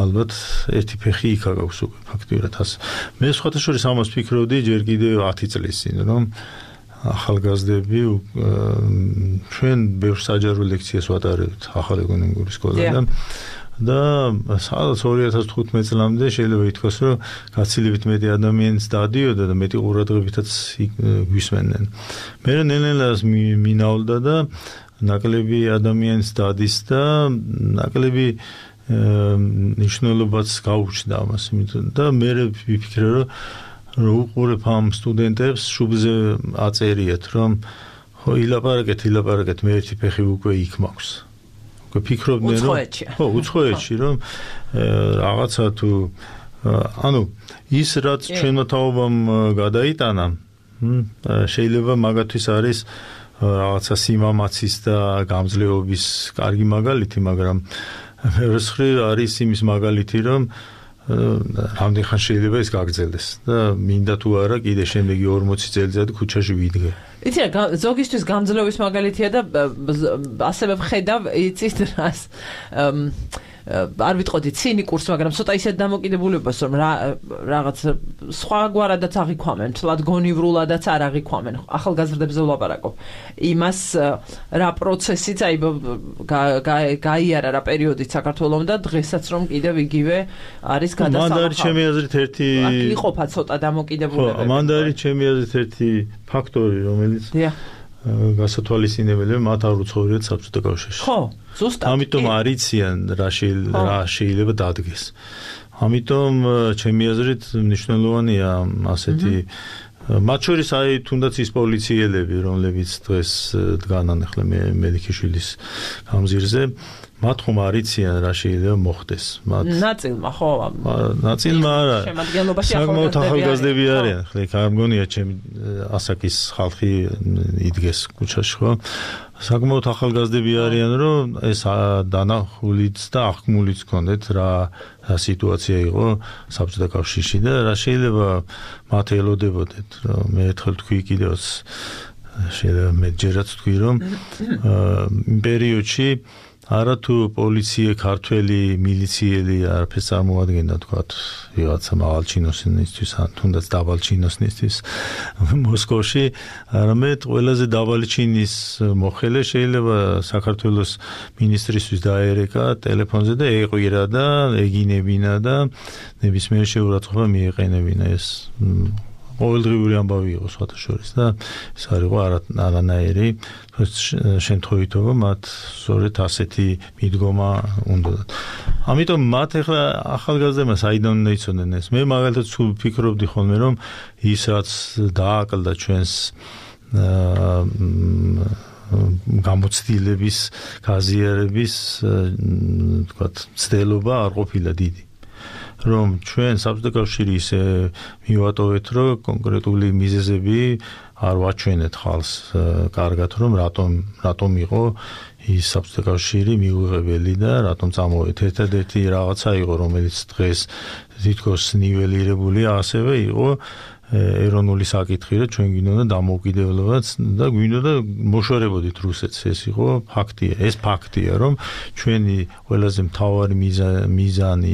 ალბათ ერთი ფეხი იქა გაქვს უკვე ფაქტიურად ასე. მე სხვათა შორის ამას ვფიქრობდი ჯერ კიდევ 10 წლის წინ, რომ ახალგაზრდები ჩვენ ბევრ საჯარო ლექციას ვატარებთ ახალ ეკონომიკური სკოლიდან და სადაც 2015 წლამდე შეიძლება ითქვას, რომ გაცილებით მეტი ადამიანის დადიოდა და მეტი ყურადღებითაც გვისმენდნენ. მე ნელ-ნელა მინაულდა და ნაკლები ადამიანის დადის და ნაკლები ნიშნულობაც გაუჩნდა ამას, იმიტომ და მე ვიფიქრე, რომ უყურებ ამ სტუდენტებს, შუბლზე აწერიათ, რომ ხო ილაპარაკეთ, მე ერთი ფეხი უკვე იქ მაქვს. ვფიქრობდნენ, რომ ხო, უცხოეთში, რომ რაღაცა თუ ანუ ის რაც ჩვენმა თაობამ გადაიტანა, შეიძლება მაგათთვის არის რაღაცა სიმამაცის და გამძლეობის კარგი მაგალითი, მაგრამ მეორის მხრივ არის იმის მაგალითი, რომ რამდენ ხან შეიძლება ეს გაგრძელდეს და მინდა თუ არა კიდე შემდეგი 40 წელიწადი ქუჩაში ვიდგე. იცი რა, ზოგისთვის გამძლეობის მაგალითია და ასევე ვხედავ, იცით რას არ ვიტყოდი ცინიკურს, მაგრამ ცოტა ისეთ დამოკიდებულებას, რომ რაღაც სხვაგვარადაც აღიქვამენ, თლად გონივრულადაც არ აღიქვამენ. ახალგაზრდებზე ვლაპარაკობ. იმას რა პროცესიც აი გაიარა რა პერიოდით საქართველოს და დღესაც რომ კიდევ იგივე არის გადასახადი. მან არის ჩემი აზრით ერთი იყოფა ცოტა დამოკიდებულებები. ხო, მან არის ჩემი აზრით ერთი ფაქტორი, რომელიც გასათვალისწინებელია, მათ არ უცხოვრიათ საბჭოთა კავშირში. ხო, ზუსტად. ამიტომ არიციან რა შეიძლება დადგეს. ამიტომ ჩემი აზრით მნიშვნელოვანია ასეთი მათ შორის აი თუნდაც ის პოლიციელები, რომლებიც დღეს დგანან ახლა მელიქიშვილის გამზირზე, მათ ხომ არიციან რა შეიძლება მოხდეს. ნაწილმა ხო, ნაწილმა არა. შემადგენლობაში ახალგაზრდები არიან. ახლა იქ არ მგონია ჩემი ასაკის ხალხი იდგეს ქუჩაში, ხო? საკმაოდ ახალგაზრდები არიან, რომ ეს დანახულიც და აღქმულიც გქონდეთ რა სიტუაცია იყო საბჭოთა კავშირში და რა შეიძლება მათ ელოდებოდეთ, რომ მე ერთხელ თქვი კიდევაც შეიძლება მეჯერაც თქვი, რომ იმ პერიოდში არა თუ პოლიცია, ქართველი, მილიციელი არაფერს წარმოადგენდა თქვათ ვიღაცა მაღალ ჩინოსნისთვის ან თუნდაც დაბალ ჩინოსნისთვის მოსკოვში, არამედ ყველაზე დაბალი ჩინის მოხელე შეიძლება საქართველოს მინისტრისთვის დაერეკა ტელეფონზე და ეყვირა და ეგინებინა და ნებისმიერ შეურაცხყოფა მიეყენებინა. ეს ყოველდღიური ამბავი იყო სხვათა შორის და ეს არ იყო არანაირი შემთხვევითობა, მათ სწორედ ასეთი მიდგომა უნდათ. ამიტომ მათ ახლა ახალგაზრდებმა საიდან უნდა იცოდნენ ეს? მე მაგალითად სულ ვფიქრობდი ხოლმე, რომ ის რაც დააკლდა ჩვენს გამოცდილების, გაზიარების, თქვათ, ცდელობა არ ყოფილა დიდი. რომ ჩვენ საბჭოთა კავშირი ისე მივატოვეთ, რომ კონკრეტული მიზეზები არ ვაჩვენეთ ხალხს კარგად, რომ რატომ იყო ის საბჭოთა კავშირი მიუღებელი და რატომ წამოვეთ. ერთადერთი რაღაცა იყო, რომელიც დღეს თითქოს ნიველირებულია, ასევე იყო ეროვნული საკითხი, რომ ჩვენ გვინდოდა დამოუკიდებლობაც და გვინდოდა მოშორებოდით რუსეთს. ეს იყო ფაქტია. ეს ფაქტია, რომ ჩვენი ყველაზე მთავარი მიზანი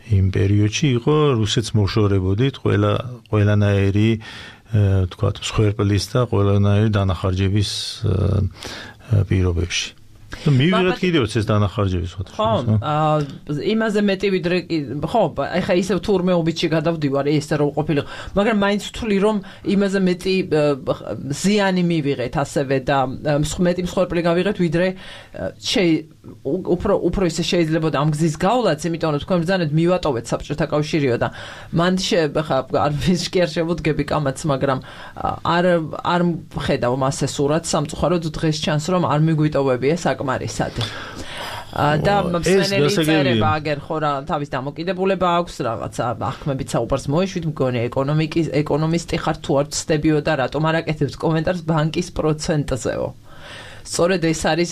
იმ პერიოდში იყო რუსეთს მოშორებოდით ყველანაირი თქვათ მსხვერპლის და ყველანაირი დანახარჯების პირობებში. მივიღეთ კიდევაც ეს დანახარჯები სხვა. ხო, იმაზე მეტი ვიდრე ხო, ეხა ისევ თურმეობითში გადავდივარ ესე რომ ყოფილიყო, მაგრამ მაინც ვთვლი რომ იმაზე მეტი ზიანი მივიღეთ ასევე და მეტი მსხვერპლი გავიღეთ ვიდრე უფრო ისე შეიძლება ამ გზის გავლაც, იმიტომ რომ თქვენ ბრძანეთ მივატოვეთ საბჭოთა კავშირიო და მან ხა არ ვისკი არ შემოდგები კამაც, მაგრამ არ ხედავ მასე სურათს სამწუხაროდ დღეს ჩანს რომ არ მიგვიტოვებია საკმარისად. და მსმენელი წერება აგერ ხო რა თავის დამოკიდებულება აქვს რაღაცა ახმებით საუბარს მოეშვით მგონი ეკონომისტი ხარ თუ არ ცდებიო და რატომ არ აკეთებს კომენტარს ბანკის პროცენტზეო. სწორედ ეს არის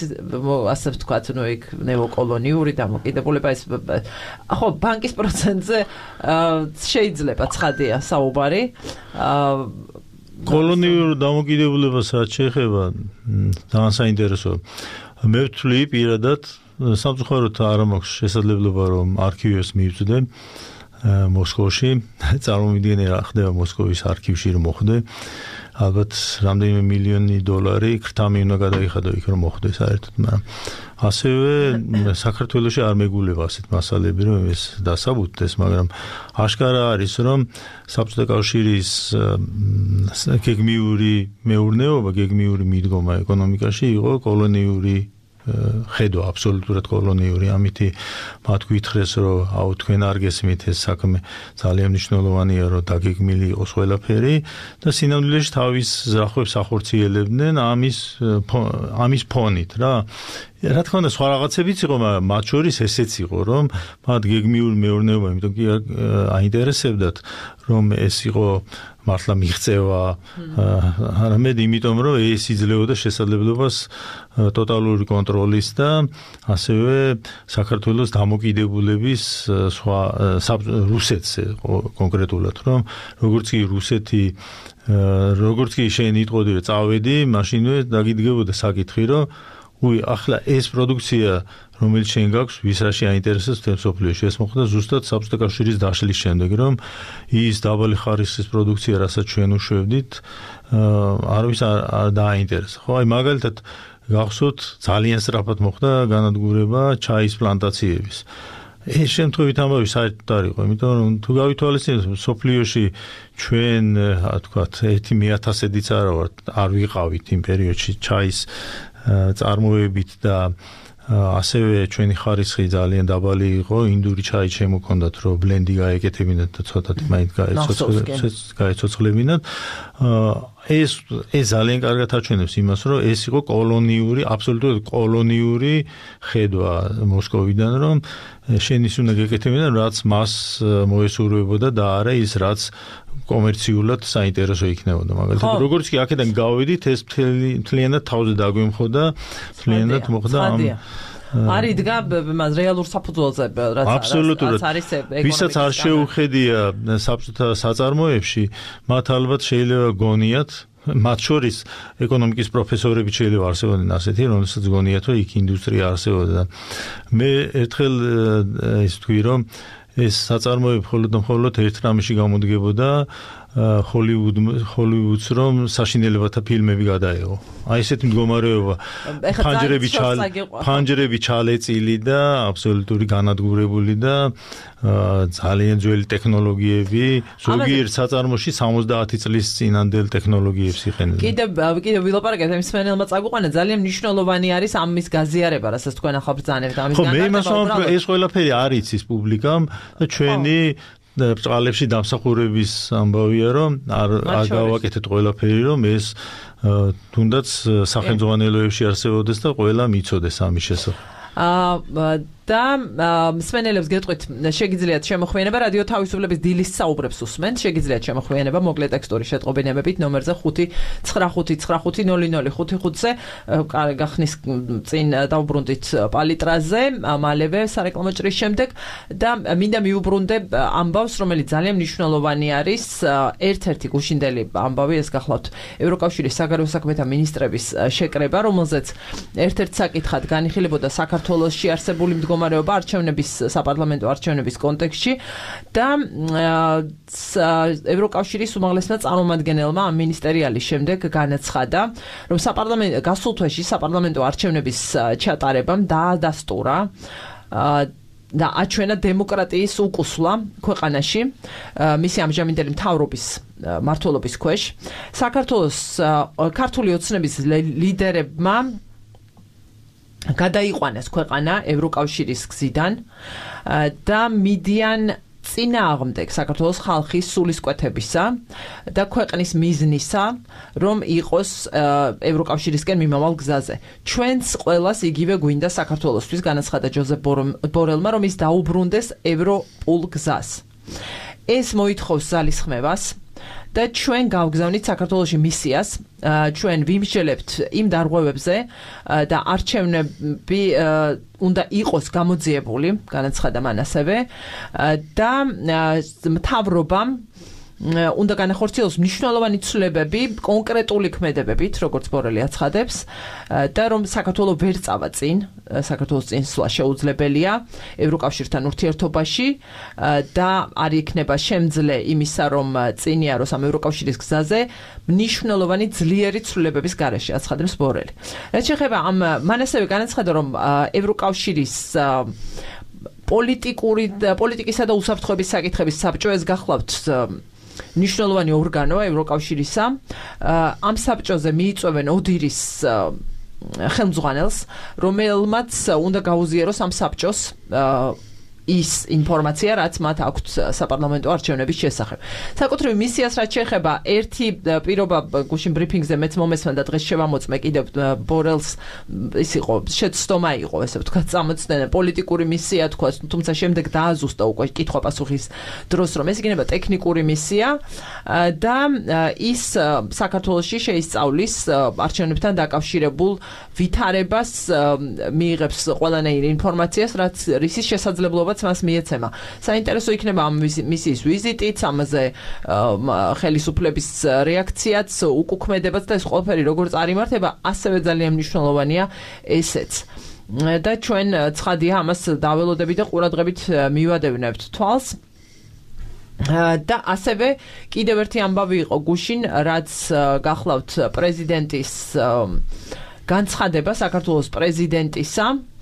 ასე ვთქვათ, ნუ იქ ნეოკოლონიური დამოკიდებულება ეს ხო ბანკის პროცენტზე შეიძლება ცხადია საუბარი. კოლონიურ დამოკიდებულებას რაც შეეხება ძალიან საინტერესოა. მე ვთვლი პირადად სამწუხაროდ არ მაქვს შესაძლებლობა რომ არქივებს მივწვდე მოსკოვში, წარმოვიდგინე რა ხდება მოსკოვის არქივში რომ მოხდე. ალბათ რამდენიმე მილიონი დოლარი ქრთამი უნდა გადაიხადო იქ რომ მოხდე საერთოდ, მაგრამ ასევე საქართველოში არ მეგულება ასეთ მასალები რომ ეს დასაბუთდეს, მაგრამ აშკარა არის რომ საბჭოთა კავშირის გეგმიური მეურნეობა, გეგმიური მიდგომა ეკონომიკაში იყო კოლონიური ხედვა, აბსოლუტურად კოლონიური. ამითი მათ გითხრეს რომ აუ თქვენ არ გესმით ეს საქმე ძალიან მნიშვნელოვანია რომ დაგეგმილი იყოს ყველაფერი და სინამდვილეში თავის ზრახვებს ახორციელებდნენ ამის ფონით რა. რა თქმა უნდა სხვა რაღაცებიც იყო, მაგრამ მათ შორის ესეც იყო რომ მათ გეგმიური მეურნეობა, იმიტომ კი აინტერესებდათ რომ ეს იყო მართლა მიღწევა, არამედ იმიტომ რომ ეს იძლეოდა შესაძლებლობას ტოტალური კონტროლის და ასევე საქართველოს დამოკიდებულების სხვა რუსეთზე კონკრეტულად, რომ როგორც კი რუსეთი როგორც კი შენ იტყოდი რომ წავედი, მაშინვე დაგიდგებოდა საკითხი რომ ახლა ეს პროდუქცია რომელიც შენ გაქვს, ვის რაში აინტერესებს მთელ მსოფლიოში. ეს მოხდა ზუსტად საბჭოთა კავშირის დაშლის შემდეგ, რომ ის დაბალი ხარისხის პროდუქცია, რასაც ჩვენ უშვებდით, არავის არ დააინტერესა. ხო, აი მაგალითად გახსოვთ, ძალიან სწრაფად მოხდა განადგურება ჩაის პლანტაციების. ეს შემთხვევით ამბავი საერთოდ არ იყო, იმიტომ რომ თუ გავითვალისწინებთ, მსოფლიოში ჩვენ, თქვათ, 1/1000-ით არ ვიყავით იმ პერიოდში ჩაის წარმოებით და ასევე ჩვენი ხარისხი ძალიან დაბალი იყო, ინდური ჩაი შემოქონდათ, რომ ბლენდი გაეკეთებინათ და ცოტათი მაინც გაეცოცხლებინათ. ეს ძალიან კარგად აჩვენებს იმას, რომ ეს იყო კოლონიური, აბსოლუტურად კოლონიური ხედვა მოსკოვიდან, რომ შენ ის უნდა გეკეთებინა, რაც მას მოესურვებოდა და არა ის, რაც კომერციულად საინტერესო იქნებოდა. მაგალითად, როგორც კი აქედან გავედით, ეს მთლიანად თავზე დაგვემხოდა, მთლიანად მოხდა ამ არ იდგა მას რეალურ საფუძველზე, რაც არის ვისაც არ შეუხედია საბჭოთა საწარმოებში, მათ ალბათ შეიძლება გონიათ, მათ შორის ეკონომიკის პროფესორები შეიძლება არსებობდნენ ასეთი, რომელსაც გონიათ, რომ იქ ინდუსტრია არსებობდა. მე ერთხელ ის თქვი, რომ ეს საწარმოები მხოლოდ ერთ რამეში გამოდგებოდა ჰოლივუდს რომ საშინელებათა ფილმები გადაეღო. აი ესეთი მდგომარეობა ფანჯრები ჩალეწილი და აბსოლუტური განადგურებული და ძალიან ძველი ტექნოლოგიები, ზოგიერთ საწარმოში 70 წლის წინანდელ ტექნოლოგიებს იყენებენ. კიდევ ვილაპარაკეთ ამის სვენელმა წაგვიყვანა, ძალიან მნიშვნელოვანი არის ამის გაზიარება, რასაც თქვენ ახლა ბრძანებთ ამის განმარტება. ხო, მე იმას ვამბობ, ეს ყველაფერი არ იცის პუბლიკამ და ჩვენი ბრწყალებში დამსახურების ამბავია, რომ არ გავაკეთეთ ყველაფერი, რომ ეს თუნდაც სახელმძღვანელოებში არსებობდეს და ყველა მიცოდეს ამის შესახებ. და მსმენელებს გეტყვით, შეგიძლიათ შემოხვიანება რადიო თავისუფლების დილის საუბრებს უსმენთ, შეგიძლიათ შემოხვიანება მოკლე ტექსტური შეტყობინებებით ნომერზე 5990005-ზე გახნის წინ დავუბრუნდით პალიტრაზე, მალევე სარეკლამო ჭრის შემდეგ და მინდა მიუბრუნდე ამბავს, რომელიც ძალიან მნიშვნელოვანი არის, ერთ-ერთი გუშინდელი ამბავი, ეს გახლავთ ევროკავშირის საგარეო საქმეთა მინისტრების შეკრება, რომელზეც ერთ-ერთ საკითხად განიხილებოდა საქართველოში არსებული მდგომარეობა არჩევნების საპარლამენტო არჩევნების კონტექსტში და ევროკავშირის უმაღლესმა წარმომადგენელმა ამ მინისტერიალის შემდეგ განაცხადა, რომ გასულ თვეში საპარლამენტო არჩევნების ჩატარებამ დაადასტურა და აჩვენა დემოკრატიის უკუსვლა ქვეყანაში მისი ამჟამინდელი მთავრობის მმართველობის ქვეშ. საქართველოს ქართული ოცნების ლიდერებმა გადაიყვანეს ქვეყანა ევროკავშირის გზიდან და მიდიან წინააღმდეგ საქართველოს ხალხის სულისკვეთებისა და ქვეყნის მიზნისა, რომ იყოს ევროკავშირისკენ მიმავალ გზაზე. ჩვენც ყველას იგივე გვინდა საქართველოსთვის, განაცხადა ჯოზეფ ბორელმა, რომ ის დაუბრუნდეს ევროპულ გზას. ეს მოითხოვს ზალისხმევას და ჩვენ გავგზავნით საქართველოში მისიას, ჩვენ ვიმსჯელებთ იმ დარღვევებზე და არჩევნები უნდა იყოს გამოძიებული, განაცხადა მან ასევე და მთავრობამ უნდა განახორციელოს მნიშვნელოვანი ცვლილებები კონკრეტული ქმედებებით, როგორც ბორელი აცხადებს, და რომ საქართველო ვერ წავა წინ, საქართველოს წინსვლა შეუძლებელია ევროკავშირთან ურთიერთობაში და არ იქნება შემძლე იმისა, რომ წინიაროს ამ ევროკავშირის გზაზე მნიშვნელოვანი ძლიერი ცვლილებების გარეშე, აცხადებს ბორელი. რაც შეეხება მან ასევე განაცხადა, რომ ევროკავშირის პოლიტიკისა და უსაფრთხოების საკითხების საბჭო ეს გახლავთ მნიშვნელოვანი ორგანოა ევროკავშირისა. ამ საბჭოზე მიიწვევენ ოდირის ხელმძღვანელს, რომელმაც უნდა გაუზიაროს ამ საბჭოს ის ინფორმაცია, რაც მათ აქვთ საპარლამენტო არჩევნების შესახებ. საკუთრივ მისიას რაც შეეხება, ერთი პირობა გუშინ ბრიფინგზე მეც მომესმენდა და დღეს შევამოწმე კიდევ ბორელს, ის იყო შეცდომა იყო, ესე ვთქვათ, წამოწდენა პოლიტიკური მისია თქვა, თუმცა შემდეგ დააზუსტა უკვე კითხვა-პასუხის დროს, რომ ეს იქნება ტექნიკური მისია და ის საქართველოში შეისწავლის არჩევნებთან დაკავშირებულ ვითარებას, მიიღებს ყველანაირ ინფორმაციას, რაც რისის შესაძლებლობა მას მიეცემა. საინტერესო იქნება ამ მისიის ვიზიტიც, ამაზე ხელისუფლების რეაქციაც, უკუქმედებაც და ეს ყველაფერი როგორც არ იმართება, ასევე ძალიან მნიშვნელოვანია ესეც. და ჩვენ ცხადია ამას დაველოდებით და ყურადღებით მივადევნებთ თვალს. და ასევე კიდევ ერთი ამბავი იყო გუშინ, რაც გახლავთ პრეზიდენტის განცხადება, საქართველოს პრეზიდენტისა,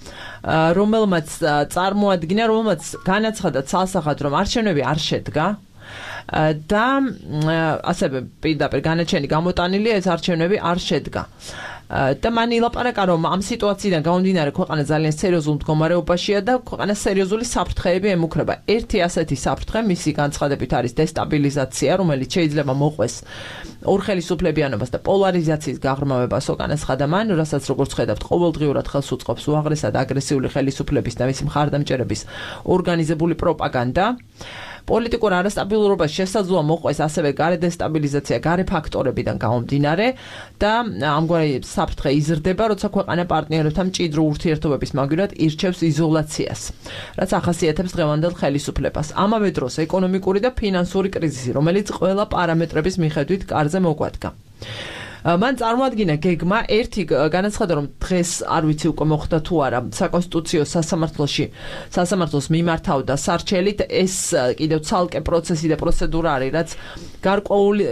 რომელმაც წარმოადგინა, რომელმაც განაცხადა ცალსახად, რომ არჩევნები არ შედგა და ასევე პირდაპირ განაჩენი გამოტანილია, ეს არჩევნები არ შედგა. და მან ილაპარაკა, რომ ამ სიტუაციიდან გამომდინარე ქვეყანა ძალიან სერიოზულ მდგომარეობაშია და ქვეყანა სერიოზული საფრთხეები ემუქრება. ერთი ასეთი საფრთხე მისი განცხადებით არის დესტაბილიზაცია, რომელიც შეიძლება მოყვეს ორხელისუფლებიანობას და პოლარიზაციის გაღრმავებას, განაცხადა მან, რასაც როგორც ხედავთ, ყოველდღიურად ხელს უწყობს უაღრესად აგრესიული ხელისუფლების და მისი მხარდამჭერების ორგანიზებული პროპაგანდა. პოლიტიკურ არასტაბილურობას შესაძლოა მოყვეს ასევე გარე დესტაბილიზაცია, გარე ფაქტორებიდან გამომდინარე და ამგვარი საფრთხე იზრდება, როცა ქვეყანა პარტნიორებთან მჭიდრო ურთიერთობების მაგივრად ირჩევს იზოლაციას, რაც ახასიათებს დღევანდელ ხელისუფლებას. ამავე დროს ეკონომიკური და ფინანსური კრიზისი, რომელიც ყველა პარამეტრების მიხედვით კარზე მოგვადგა. მან წარმოადგინა გეგმა ერთი განაცხადა რომ დღეს არ ვიცი უკვე მოხდა თუ არა საკონსტიტუციო სასამართლოს მიმართავდა სარჩელით ეს კიდევ ცალკე პროცესი და პროცედურა არის რაც გარკვეული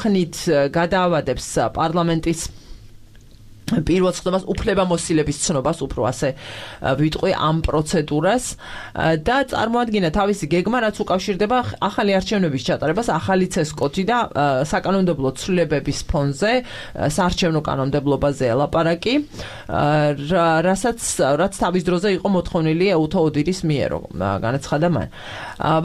ხნით გადაავადებს პარლამენტის პირველ ცნობას უფლებამოსილების ცნობას უფრო ასე ვიტყვი ამ პროცედურას და წარმოადგინა თავისი გეგმა რაც უკავშირდება ახალი არჩევნების ჩატარებას ახალი ცესკოთი და საკანონმდებლო ცვლილებების ფონზე საარჩევნო კანონმდებლობაზე ელაპარაკი რაც თავის დროზე იყო მოთხოვნილი ეუთო ოდირის მიერო განაცხადა მან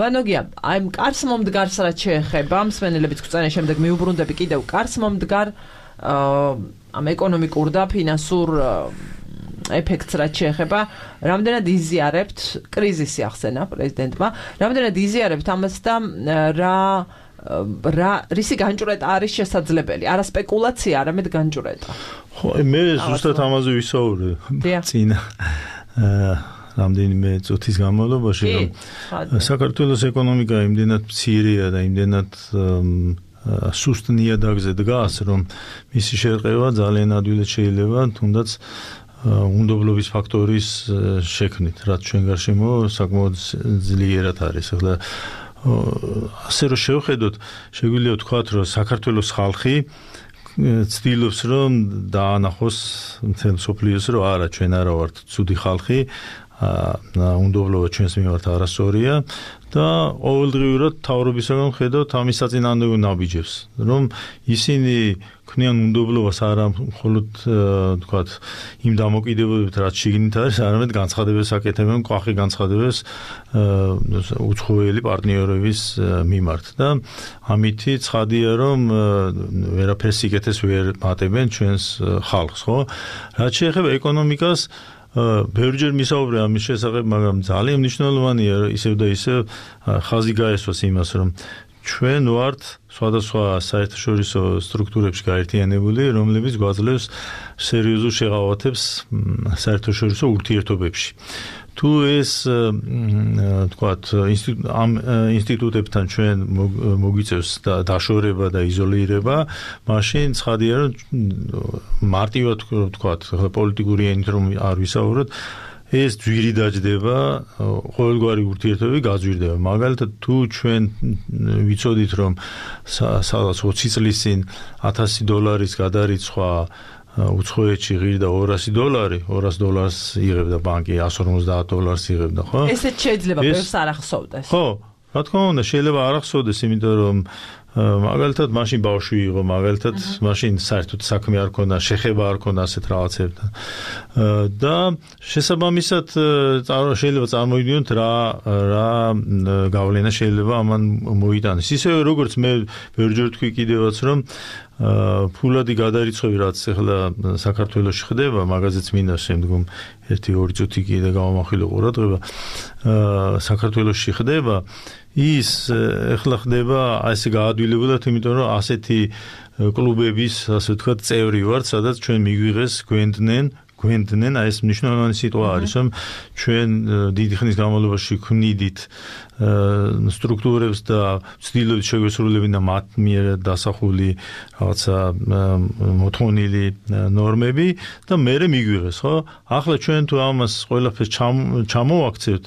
ბანოგია აი კარს მომდგარს რაც შეეხება მსმენელებიც გვწენენ შემდეგ მიუბრუნდები კიდევ კარს მომდგარ ამ ეკონომიკურ და ფინანსურ ეფექტს რაც შეეხება რამდენად იზიარებთ კრიზისი ახსენა პრეზიდენტმა რამდენად იზიარებთ ამას და რა რისი განჭვრეტა არის შესაძლებელი არა სპეკულაცია არამედ განჭვრეტა ხო მე ზუსტად ამაზე ვისაუბრე წინა რამდენიმე წუთის განმავლობაში რომ საქართველოს ეკონომიკა იმდენად მცირეა და იმდენად სუსტ ნიადაგზე დგას, რომ მისი შერყევა ძალიან ადვილად შეიძლება, თუნდაც უნდობლობის ფაქტორის შექმნით, რაც ჩვენ გარშემო საკმაოდ ძლიერად არის. ახლა ასე რომ შევხედოთ, შეგვიძლია ვთქვათ, რომ საქართველოს ხალხი ცდილობს რომ დაანახოს მთელ მსოფლიოს, რომ არა, ჩვენ არა ვართ ცუდი ხალხი, უნდობლობა ჩვენს მიმართ არასწორია და ყოველდღიურად თავრობისაგან ხედავთ ამის საწინააღმდეგო ნაბიჯებს, რომ ისინი ქმნიან უნდობლობას არა მხოლოდ თქვათ იმ დამოკიდებულებით, რაც შიგნით არის, არამედ განცხადებებს აკეთებენ, ყვახი განცხადებებს უცხოელი პარტნიორების მიმართ და ამითი ცხადია, რომ ვერაფერს სიკეთეს ვერ მატებენ ჩვენს ხალხს, ხო? რაც შეეხება ეკონომიკას ბევრჯერ მისაუბრე ამის შესახებ, მაგრამ ძალიან მნიშვნელოვანია ისევ და ისევ ხაზი გაესვას იმას, რომ ჩვენ ვართ სხვადასხვა საერთაშორისო სტრუქტურებში გაერთიანებული, რომლებიც გვაძლევს სერიოზულ შეღავათებს საერთაშორისო ურთიერთობებში. თუ ეს თქვათ ამ ინსტიტუტებთან ჩვენ მოგვიწევს დაშორება და იზოლირება, მაშინ ცხადია რომ მარტივად თქვათ პოლიტიკური ენით რომ არ ვისაუბროთ, ეს ძვირი დაждდება, ყოველგვარი ურთიერთობები გაძვირდება. მაგალითად, თუ ჩვენ ვიცოდით რომ სადაც 20 წლის წინ $1000 გადარიცხვა უცხოეთში ღირდა $200, $200 იღებდა ბანკი, $150 იღებდა, ხო? ესეც შეიძლება ბევრს არ ახსოვდეს. ხო, რა თქმა უნდა, შეიძლება არ ახსოვდეს, იმიტომ რომ მაგალითად მაშინ ბავშვი იყო, მაგალითად მაშინ საერთოდ საქმე არ ქონდა, შეხება არ ქონდა ასეთ რაღაცებთან. და შესაბამისად შეიძლება წარმოვიდგინოთ რა გავლენა შეიძლება ამან მოიტანოს. ისევე როგორც მე ბევრჯერ ვთქვი კიდევაც რომ ფულადი გადარიცხვები რაც ახლა საქართველოში ხდება, მაგაზეც მინდა შემდგომ 1-2 წუთი კიდე გავამახვილო ყურადღება, საქართველოში ხდება ის ახლა ხდება ასე გაადვილებულად, იმიტომ რომ ასეთი კლუბების, ასე ვთქვათ, წევრი ვართ, სადაც ჩვენ მიგვიღეს გვენდნენ, აი ეს მნიშვნელოვანი სიტყვა არის, რომ ჩვენ დიდი ხნის განმავლობაში ქმნიდით სტრუქტურებს და ცდილობთ შეგვესრულებინა მათ მიერ დასახული რაღაცა მოთხოვნილი ნორმები და მერე მიგვიღეს, ხო? ახლა ჩვენ თუ ამას ყველაფერს ჩამოვაქცევთ,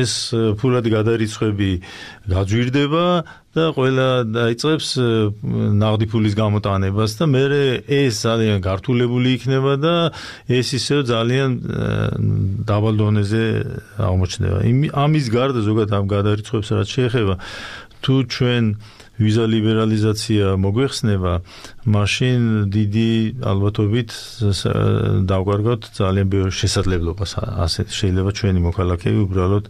ეს ფულადი გადარიცხვები გაძვირდება და ყველა დაიწყებს ნაღდი ფულის გამოტანებას და მერე ეს ძალიან გართულებული იქნება და ეს ისევ ძალიან დაბალ დონეზე აღმოჩნდება. ამის გარდა ზოგადად ამ გადარიცხვებს რაც შეეხება, თუ ჩვენ ვიზა ლიბერალიზაცია მოგვეხსნება, მაშინ დიდი ალბათობით დავგარგოთ ძალიან ბევრ შესაძლებლობას. ასე შეიძლება ჩვენი მოქალაქეები უბრალოდ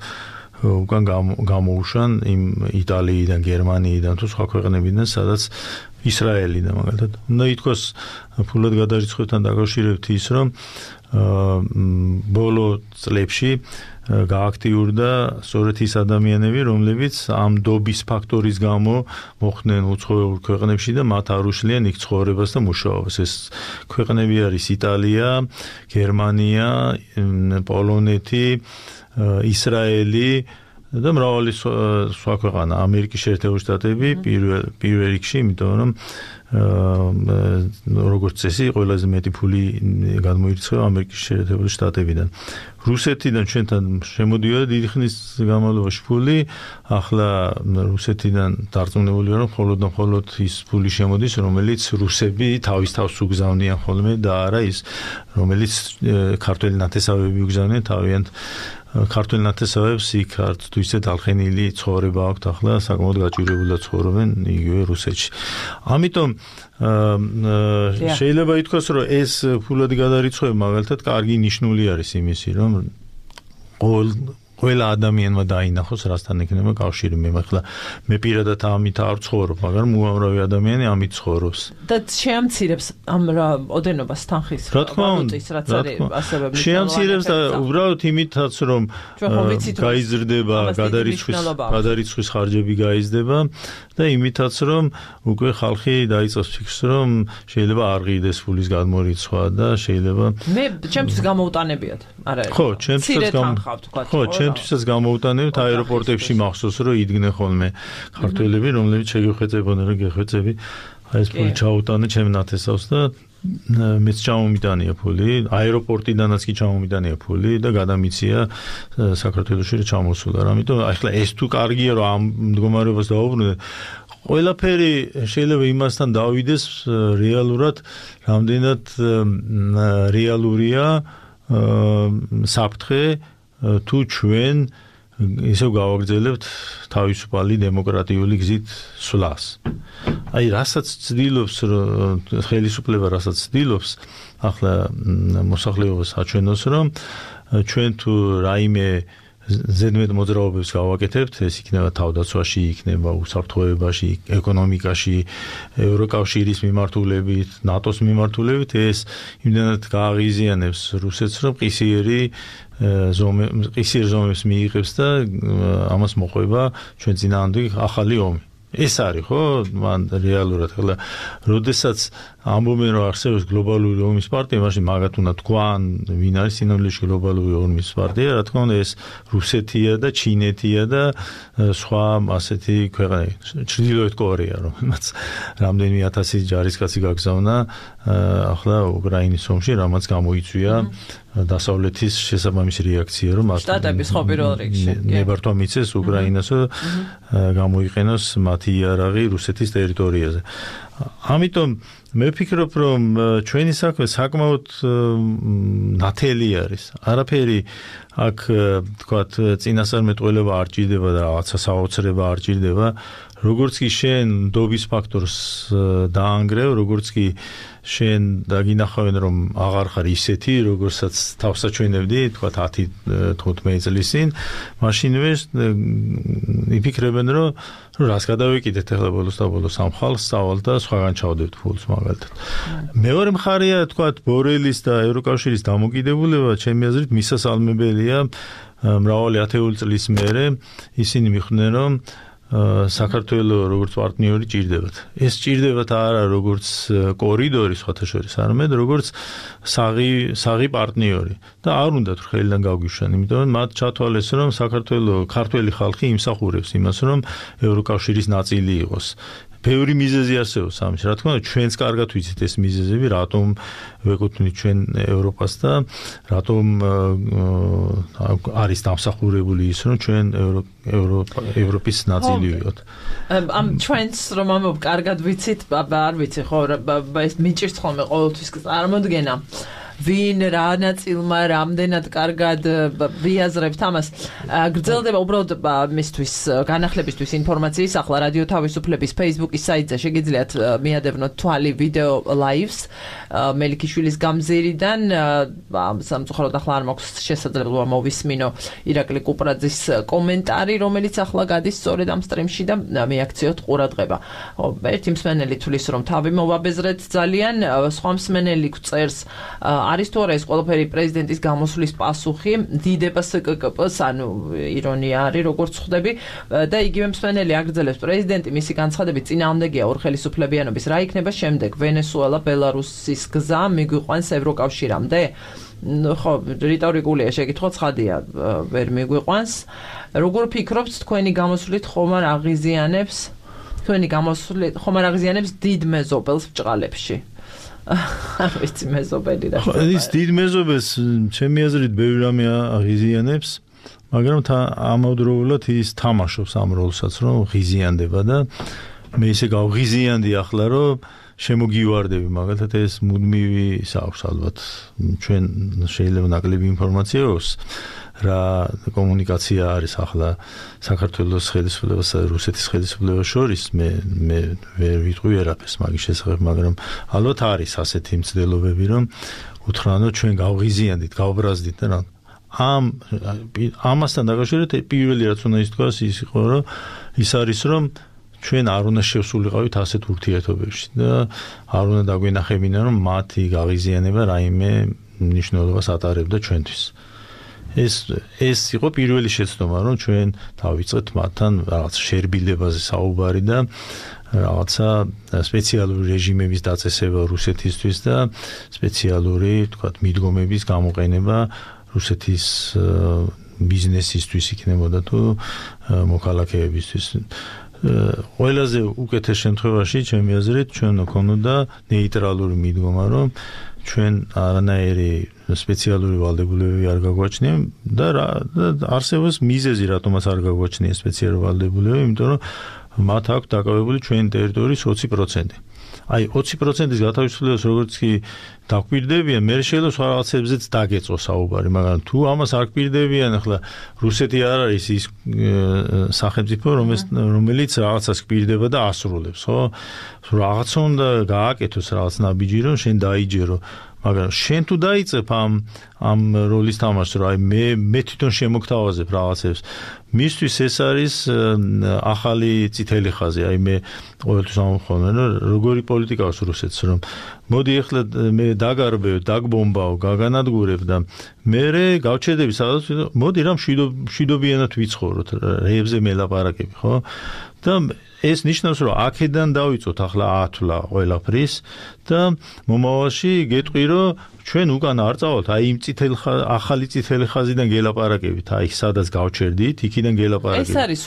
უკან გამოუშვან იმ იტალიიდან, გერმანიიდან თუ სხვა ქვეყნებიდან, სადაც ისრაელიდან მაგალითად. უნდა ითქვას ფულად გადარიცხვებთან დაკავშირებით ის, რომ ბოლო წლებში გააქტიურდა სწორედ ის ადამიანები, რომლებიც ამ დობის ფაქტორის გამო მოხვდნენ უცხოურ ქვეყნებში და მათ არ უშლიან იქ ცხოვრებას და მუშაობას. ეს ქვეყნები არის იტალია, გერმანია, პოლონეთი, ისრაელი და მრავალი სხვა ქვეყანა, ამერიკის შეერთებული შტატები პირველ რიგში, იმიტომ რომ როგორც წესი, ყველაზე მეტი ფული გადმოირიცხება ამერიკის შეერთებული შტატებიდან. რუსეთიდან ჩვენთან შემოდიოდა დიდი ხნის განმავლობაში ფული, ახლა რუსეთიდან დარწმუნებული ვარ, რომ მხოლოდ ის ფული შემოდის, რომელიც რუსები თავის თავს უგზავნიან ხოლმე და არა ის, რომელიც ქართველი ნათესავები უგზავნიან თავიანთ ქართველ ნათესავებს იქ არც თუ ისე დალხენილი ცხოვრება აქვთ ახლა საკმაოდ გაჭირვებულად ცხოვრობენ იგივე რუსეთში. ამიტომ შეიძლება ითქვას, რომ ეს ფულადი გადარიცხვა მაგალითად კარგი ნიშნული არის იმისი, რომ ყველა ადამიანმა დაინახოს, რასთან ექნება კავშირი. მე პირადად ამით არ ცხოვრობ, მაგრამ უამრავი ადამიანი ამით ცხოვრობს. და შეამცირებს ამ ოდენობას თანხის. რა თქმა უნდა, შეამცირებს და უბრალოდ იმითაც, რომ გაიზრდება გადარიცხვის ხარჯები გაიზრდება და იმითაც, რომ უკვე ხალხი დაიწყებს ფიქრს, რომ შეიძლება არ ღირდეს ფულის გადმორიცხვა და შეიძლება მე ჩემთვის გამოუტანებიათ. არა, ხო, ჩემთვისაც გამოუტანებთ აეროპორტებში მახსოვს, რომ იდგნენ ხოლმე ქართველები, რომლებიც შეგეხვეწებოდნენ, რომ გეხვეწები, აი ეს ფული ჩაუტანე ჩემ ნათესავს და მეც ჩამომიტანია ფული, აეროპორტიდანაც კი ჩამომიტანია ფული და გადამიცია საქართველოში რომ ჩამოსულა. ამიტომ ახლა ეს თუ კარგია, რომ ამ მდგომარეობას დაუბრუნდეთ, ყველაფერი შეიძლება იმასთან დავიდეს რეალურად, რამდენად რეალურია საფრთხე თუ ჩვენ ისევ გავაგრძელებთ თავისუფალი დემოკრატიული გზით სვლას. აი, რასაც ცდილობს ხელისუფლება, რასაც ცდილობს ახლა მოსახლეობას აჩვენოს, რომ ჩვენ თუ რაიმე ზედმეტ მოძრაობებს გავაკეთებთ, ეს იქნება თავდაცვაში, იქნება უსაფრთხოებაში, ეკონომიკაში, ევროკავშირის მიმართულებით, ნატოს მიმართულებით, ეს იმდენად გააღიზიანებს რუსეთს, რომ ყისიერ ზომებს მიიღებს და ამას მოყვება ჩვენ წინააღმდეგ ახალი ომი. ეს არის, ხო? მან რეალურად ახლა როდესაც ამბობენ, რომ არსებობს გლობალური ომის პარტია, მაშინ მაგათ უნდა თქვან, ვინ არის სინამდვილეში გლობალური ომის პარტია, რა თქმა უნდა, ეს რუსეთია და ჩინეთია და სხვა ასეთი ქვეყნები, ჩრდილოეთ კორეა, რომელმაც რამდენიმე ათასი ჯარისკაცი გაგზავნა ახლა უკრაინის ომში, რამაც გამოიწვია დასავლეთის შესაბამისი რეაქცია, რომ შტატების ხო პირველ რიგში ნებართვა მიცეს უკრაინას, გამოიყენოს მათი იარაღი რუსეთის ტერიტორიაზე. ამიტომ მე ვფიქრობ, რომ ჩვენი საქმე საკმაოდ ნათელი არის. არაფერი აქ თქვათ წინასწარმეტყველება არ ჭირდება და რაღაცა საოცრება არ ჭირდება. როგორც კი შენ ნდობის ფაქტორს დაანგრევ, როგორც კი შენ დაგინახავენ, რომ აღარ ხარ ისეთი, როგორცაც თავს აჩვენებდი, თქვათ 10-15 წლის წინ, მაშინვე იფიქრებენ, რომ რას გადავეკიდეთ ახლა ბოლოს და ბოლოს ამ ხალხს სწავლ და სხვაგან ჩავდებთ ფულს მაგალითად. მეორე მხარეა, თქვათ, ბორელის და ევროკავშირის დამოკიდებულება, ჩემი აზრით, მისასალმებელია მრავალი ათეული წლის მერე ისინი მიხვდნენ, რომ საქართველოს როგორც პარტნიორი ჭირდებათ. ეს ჭირდებათ არა როგორც კორიდორი სხვათა შორის, არამედ როგორც საღი პარტნიორი. და არ უნდათ ხელიდან გავგვიშვან, იმიტომ რომ მათ ჩათვალეს, რომ საქართველოს ქართველი ხალხი იმსახურებს იმას, რომ ევროკავშირის ნაწილი იყოს. ბევრი მიზეზი არსებობს ამის. რა თქმა უნდა, ჩვენც კარგად ვიცით ეს მიზეზები, რატომ ვეკუთვნით ჩვენ ევროპას და რატომ არის დამსახურებული ის, რომ ჩვენ ევროპის ნაწილი ვიყოთ. ამ ჩვენც რომ ამბობ კარგად ვიცით, არ ვიცი ხო, ეს მიჭირს ხოლმე ყოველთვის წარმოდგენა. ვინ რა ნაწილმა რამდენად კარგად ვიაზრებთ ამას. გრძელდება უბრალოდ მისთვის განახლებისთვის ინფორმაციის ახლა რადიო თავისუფლების Facebook-ის საიტზე შეგიძლიათ მიადევნოთ თვალი ვიდეო ლაივს მელიქიშვილის გამზირიდან. სამწუხაროდ ახლა არ მაქვს შესაძლებლობა მოვისმინო ირაკლი კუპრაძის კომენტარი, რომელიც ახლა გადის სწორედ ამ სტრიმში და მიაქციოთ ყურადღება. ერთი მსმენელი თვლის, რომ თავი მოვაბეზრეთ ძალიან, სხვა მსმენელი წერს არის თუ არა ეს ყველაფერი პრეზიდენტის გამოსვლის პასუხი დიდება SKKP-ს, ანუ ირონია არის როგორც ხვდები და იგივე მსმენელი აგრძელებს პრეზიდენტი მისი განცხადებით წინააღმდეგია ორხელისუფლებიანობის რა იქნება შემდეგ ვენესუელა ბელარუსის გზა მიგვიყვანს ევროკავშირამდე ხო რიტორიკულია შეკითხვა ცხადია ვერ მიგვიყვანს როგორ ფიქრობთ თქვენი გამოსვლით ხომ არ აღიზიანებს დიდ მეზობელს ბჭყალებში ვიცი მეზობელი რა ის დიდ მეზობელს ჩემი აზრით ბევრი რამე აღიზიანებს მაგრამ ამავდროულად ის თამაშობს ამ როლსაც რომ ღიზიანდება და მე ისე გავღიზიანდი ახლა რომ შემოგივარდები მაგალითად ეს მუდმივი აქვს ალბათ ჩვენ შეიძლება ნაკლები ინფორმაცია აქვს რა კომუნიკაცია არის ახლა საქართველოს ხელისუფლებასა და რუსეთის ხელისუფლებას შორის მე ვერ ვიტყვი ვერაფერს მაგის შესახებ მაგრამ ალბათ არის ასეთი მცდელობები რომ უთხრან რომ ჩვენ გავღიზიანდით გავბრაზდით და რა ამასთან დაკავშირებით პირველი რაც უნდა ითქვას ის იყო რომ ის არის რომ ჩვენ არ უნდა შევსულიყავით ასეთ ურთიერთობებში და არ უნდა დაგვენახებინა რომ მათი გავიზიანება რაიმე მნიშვნელობას ატარებდა ჩვენთვის ეს იყო პირველი შეცდომა რომ ჩვენ დავიწყეთ მათთან რაღაც შერბილებაზე საუბარი და რაღაცა სპეციალური რეჟიმების დაწესება რუსეთისთვის და სპეციალური თქვათ მიდგომების გამოყენება რუსეთის ბიზნესისთვის იქნებოდა თუ მოქალაქეებისთვის ყველაზე უკეთეს შემთხვევაში ჩემი აზრით ჩვენ გვქონოდა ნეიტრალური მიდგომა რომ ჩვენ არანაირი სპეციალური ვალდებულებები არ გაგვაჩნია და არსებობს მიზეზი რატომაც არ გაგვაჩნია სპეციალური ვალდებულებები იმიტომ რომ მათ აქვს დაკავებული ჩვენი ტერიტორიის 20% აი 20%-ის გათავისუფლებას როგორც კი დაგვირდებიან, მე შეიძლება სხვა რაღაცებზეც დაგეწყო საუბარი, მაგრამ თუ ამას არ გვირდებიან, ახლა რუსეთი არ არის ის სახელმწიფო, რომელიც რაღაცას გვირდება და ასრულებს, ხო? რაღაცა უნდა გააკეთოს რაღაც ნაბიჯი, რომ შენ დაიჯერო, მაგრამ შენ თუ დაიწყებ ამ როლის თამაშს, რომ აი მე თვითონ შემოგთავაზებ რაღაცებს, მისთვის ეს არის ახალი წითელი ხაზი, აი მე ყოველთვის ამხოვნე, რომ როგორი პოლიტიკა აქვს რუსეთს, რომ მოდი ახლა მე დაგარბევ, დაგბომბავ, გაგანადგურებ და მე გავჩერდები სადაც, მოდი რა მშვიდობიანად ვიცხოვროთ, რეებზე მელაპარაკები, ხო? და ეს ნიშნავს, რომ აქედან დავიწყოთ ახლა ათვლა ყველაფრის და მომავალში გეტყვი, რომ ჩვენ უკან არ წავალთ, აი იმ ახალი წითელი ხაზიდან გელაპარაკებით, აი სადაც გავჩერდით, იქიდან გელაპარაკებით. ეს არის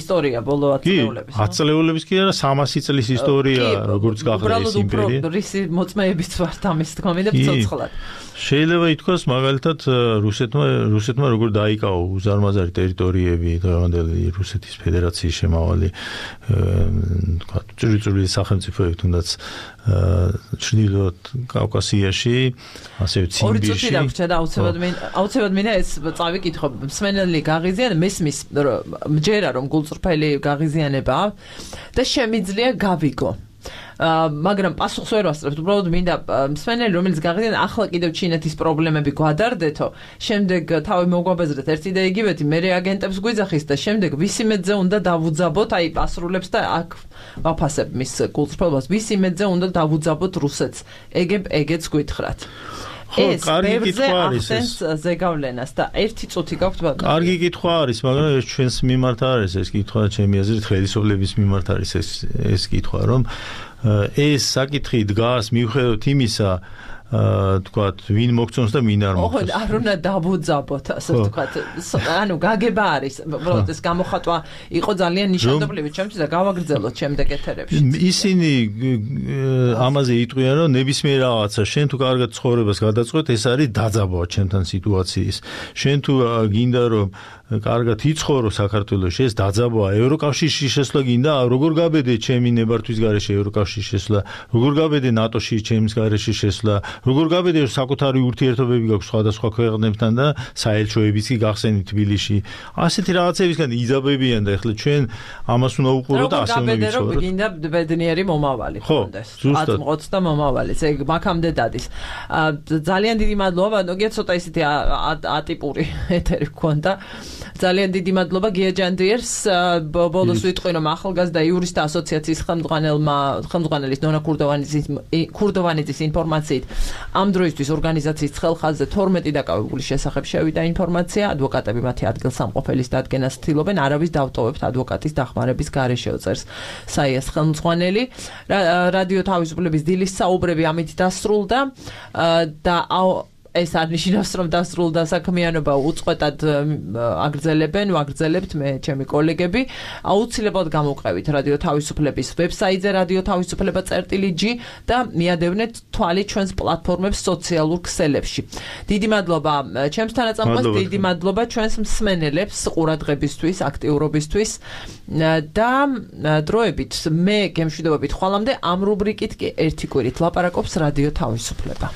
ისტორია ბოლო 10 წლების. 10 წლების კი არა, 300 წლის ისტორია, როგორც გახდა ეს იმპერია. უბრალოდ რისი მოწმეებით ვართ ამის თქმით და ცოცხლად. შეიძლება ითქვას მაგალითად რუსეთმა როგორ დაიკავა უზარმაზარი ტერიტორიები დღევანდელი რუსეთის ფედერაციის შემავალი თქვა წვრილი სახელმწიფოები თუნდაც ჩრდილოეთ კავკასიაში ასევე ციმბირში. ორი წუთი დაგვრჩა და აუცილებლად მინდა ეს წავიკითხო მსმენელი გაღიზიანება მესმის მჯერა რომ გულწრფელი გაღიზიანება და შემიძლია გავიგო მაგრამ პასუხს ვერ ვასწრებთ, უბრალოდ მინდა მსმენელი რომელიც გაღიზიანება ახლა კიდევ ჩინეთის პრობლემები გვადარდეთო, შემდეგ თავი მოგვაბეზრეთ ერთი და იგივეთი, მე რეაგენტებს გვიძახის და შემდეგ ვისი მეძე უნდა დავუძაბოთ, აი პასრულებს და აქ ვაფასებ მის გულწრფელობას, ვისი მეძე უნდა დავუძაბოთ რუსეთს, ეგეც გვითხრათ. ეს ბევრზე ახდენს ზეგავლენას და ერთი წუთი გაქვთ ბატონო. კარგი კითხვა არის, მაგრამ ეს ჩვენს მიმართ არის ეს კითხვა, ჩემი აზრით ხელისუფლების მიმართ არის ეს კითხვა, რომ ეს საკითხი დგას მიუხედავად იმისა, თქვათ, ვინ მოგწონს და ვინ არ მოგწონს. ოღონდ არ უნდა დავუძაბოთ, ასე ვთქვათ. ანუ გაგება არის, უბრალოდ ეს გამოხატვა იყო ძალიან ნიშანდობლივი ჩემთვის და გავაგრძელოთ შემდეგ ეთერებში. ისინი ამაზე იტყვიან, რომ ნებისმიერ რაღაცა შენ თუ კარგად ცხოვრებას გადაწყვეტ, ეს არის დაძაბვა ჩემთან სიტუაციის. შენ თუ გინდა რომ კარგად იცხოვრო საქართველოში, ეს დაძაბვა, ევროკავშირში შესვლა გინდა, როგორ გაბედე ჩემი ნებართვის გარეშე ევროკავშირში შესვლა, როგორ გაბედე ნატოში ჩემს გარეშე შესვლა, როგორ გაბედე საკუთარი ურთიერთობები გაქვს სხვადასხვა ქვეყნებთან და საელჩოებიც კი გახსენით თბილისში. ასეთი რაღაცებისგან იძაბებიან და ახლა ჩვენ ამას უნდა უყუროთ და ასე უნდა ვიცხოვროთ. რომ გინდა ბედნიერი მომავალი ხონდეს. აწმყოც და მომავალიც, ეგ მაგამდე დადის. ძალიან დიდი მადლობა, ნუ ცოტა ისეთი ატიპური ეთერი გქონდა. ძალიან დიდი მადლობა გია ჯანდიერს. ბოლოს ვიტყვი რომ ახალგაზრდა იურისტთა ასოციაციის ხელმძღვანელის ნონა ქურდოვანიძის ინფორმაციით ამ დროისთვის ორგანიზაციის ხელხაზზე 12 დაკავებული შესახებ შევიდა ინფორმაცია. ადვოკატები მათი ადგილსამყოფელის დადგენას ცდილობენ, არავის დავტოვებთ ადვოკატის დახმარების გარეშე უწერს საიას ხელმძღვანელი. რადიო თავისუფლების დილის საუბრები ამით დასრულდა და ეს არ ნიშნავს რომ დასრულდა საქმიანობა უწყვეტად ვაგრძელებთ მე ჩემი კოლეგები აუცილებლად გამოვყევით რადიო თავისუფლების ვებსაიტზე radio-tavisupleba.g და მიადევნეთ თვალი ჩვენს პლატფორმებს სოციალურ ქსელებში. დიდი მადლობა ჩემს თანაწამყვას, დიდი მადლობა ჩვენს მსმენელებს ყურადღებისთვის, აქტიურობისთვის და დროებით მე გემშვიდობებით ხვალამდე ამ რუბრიკით კი ერთი კვირით ლაპარაკობს რადიო თავისუფლება.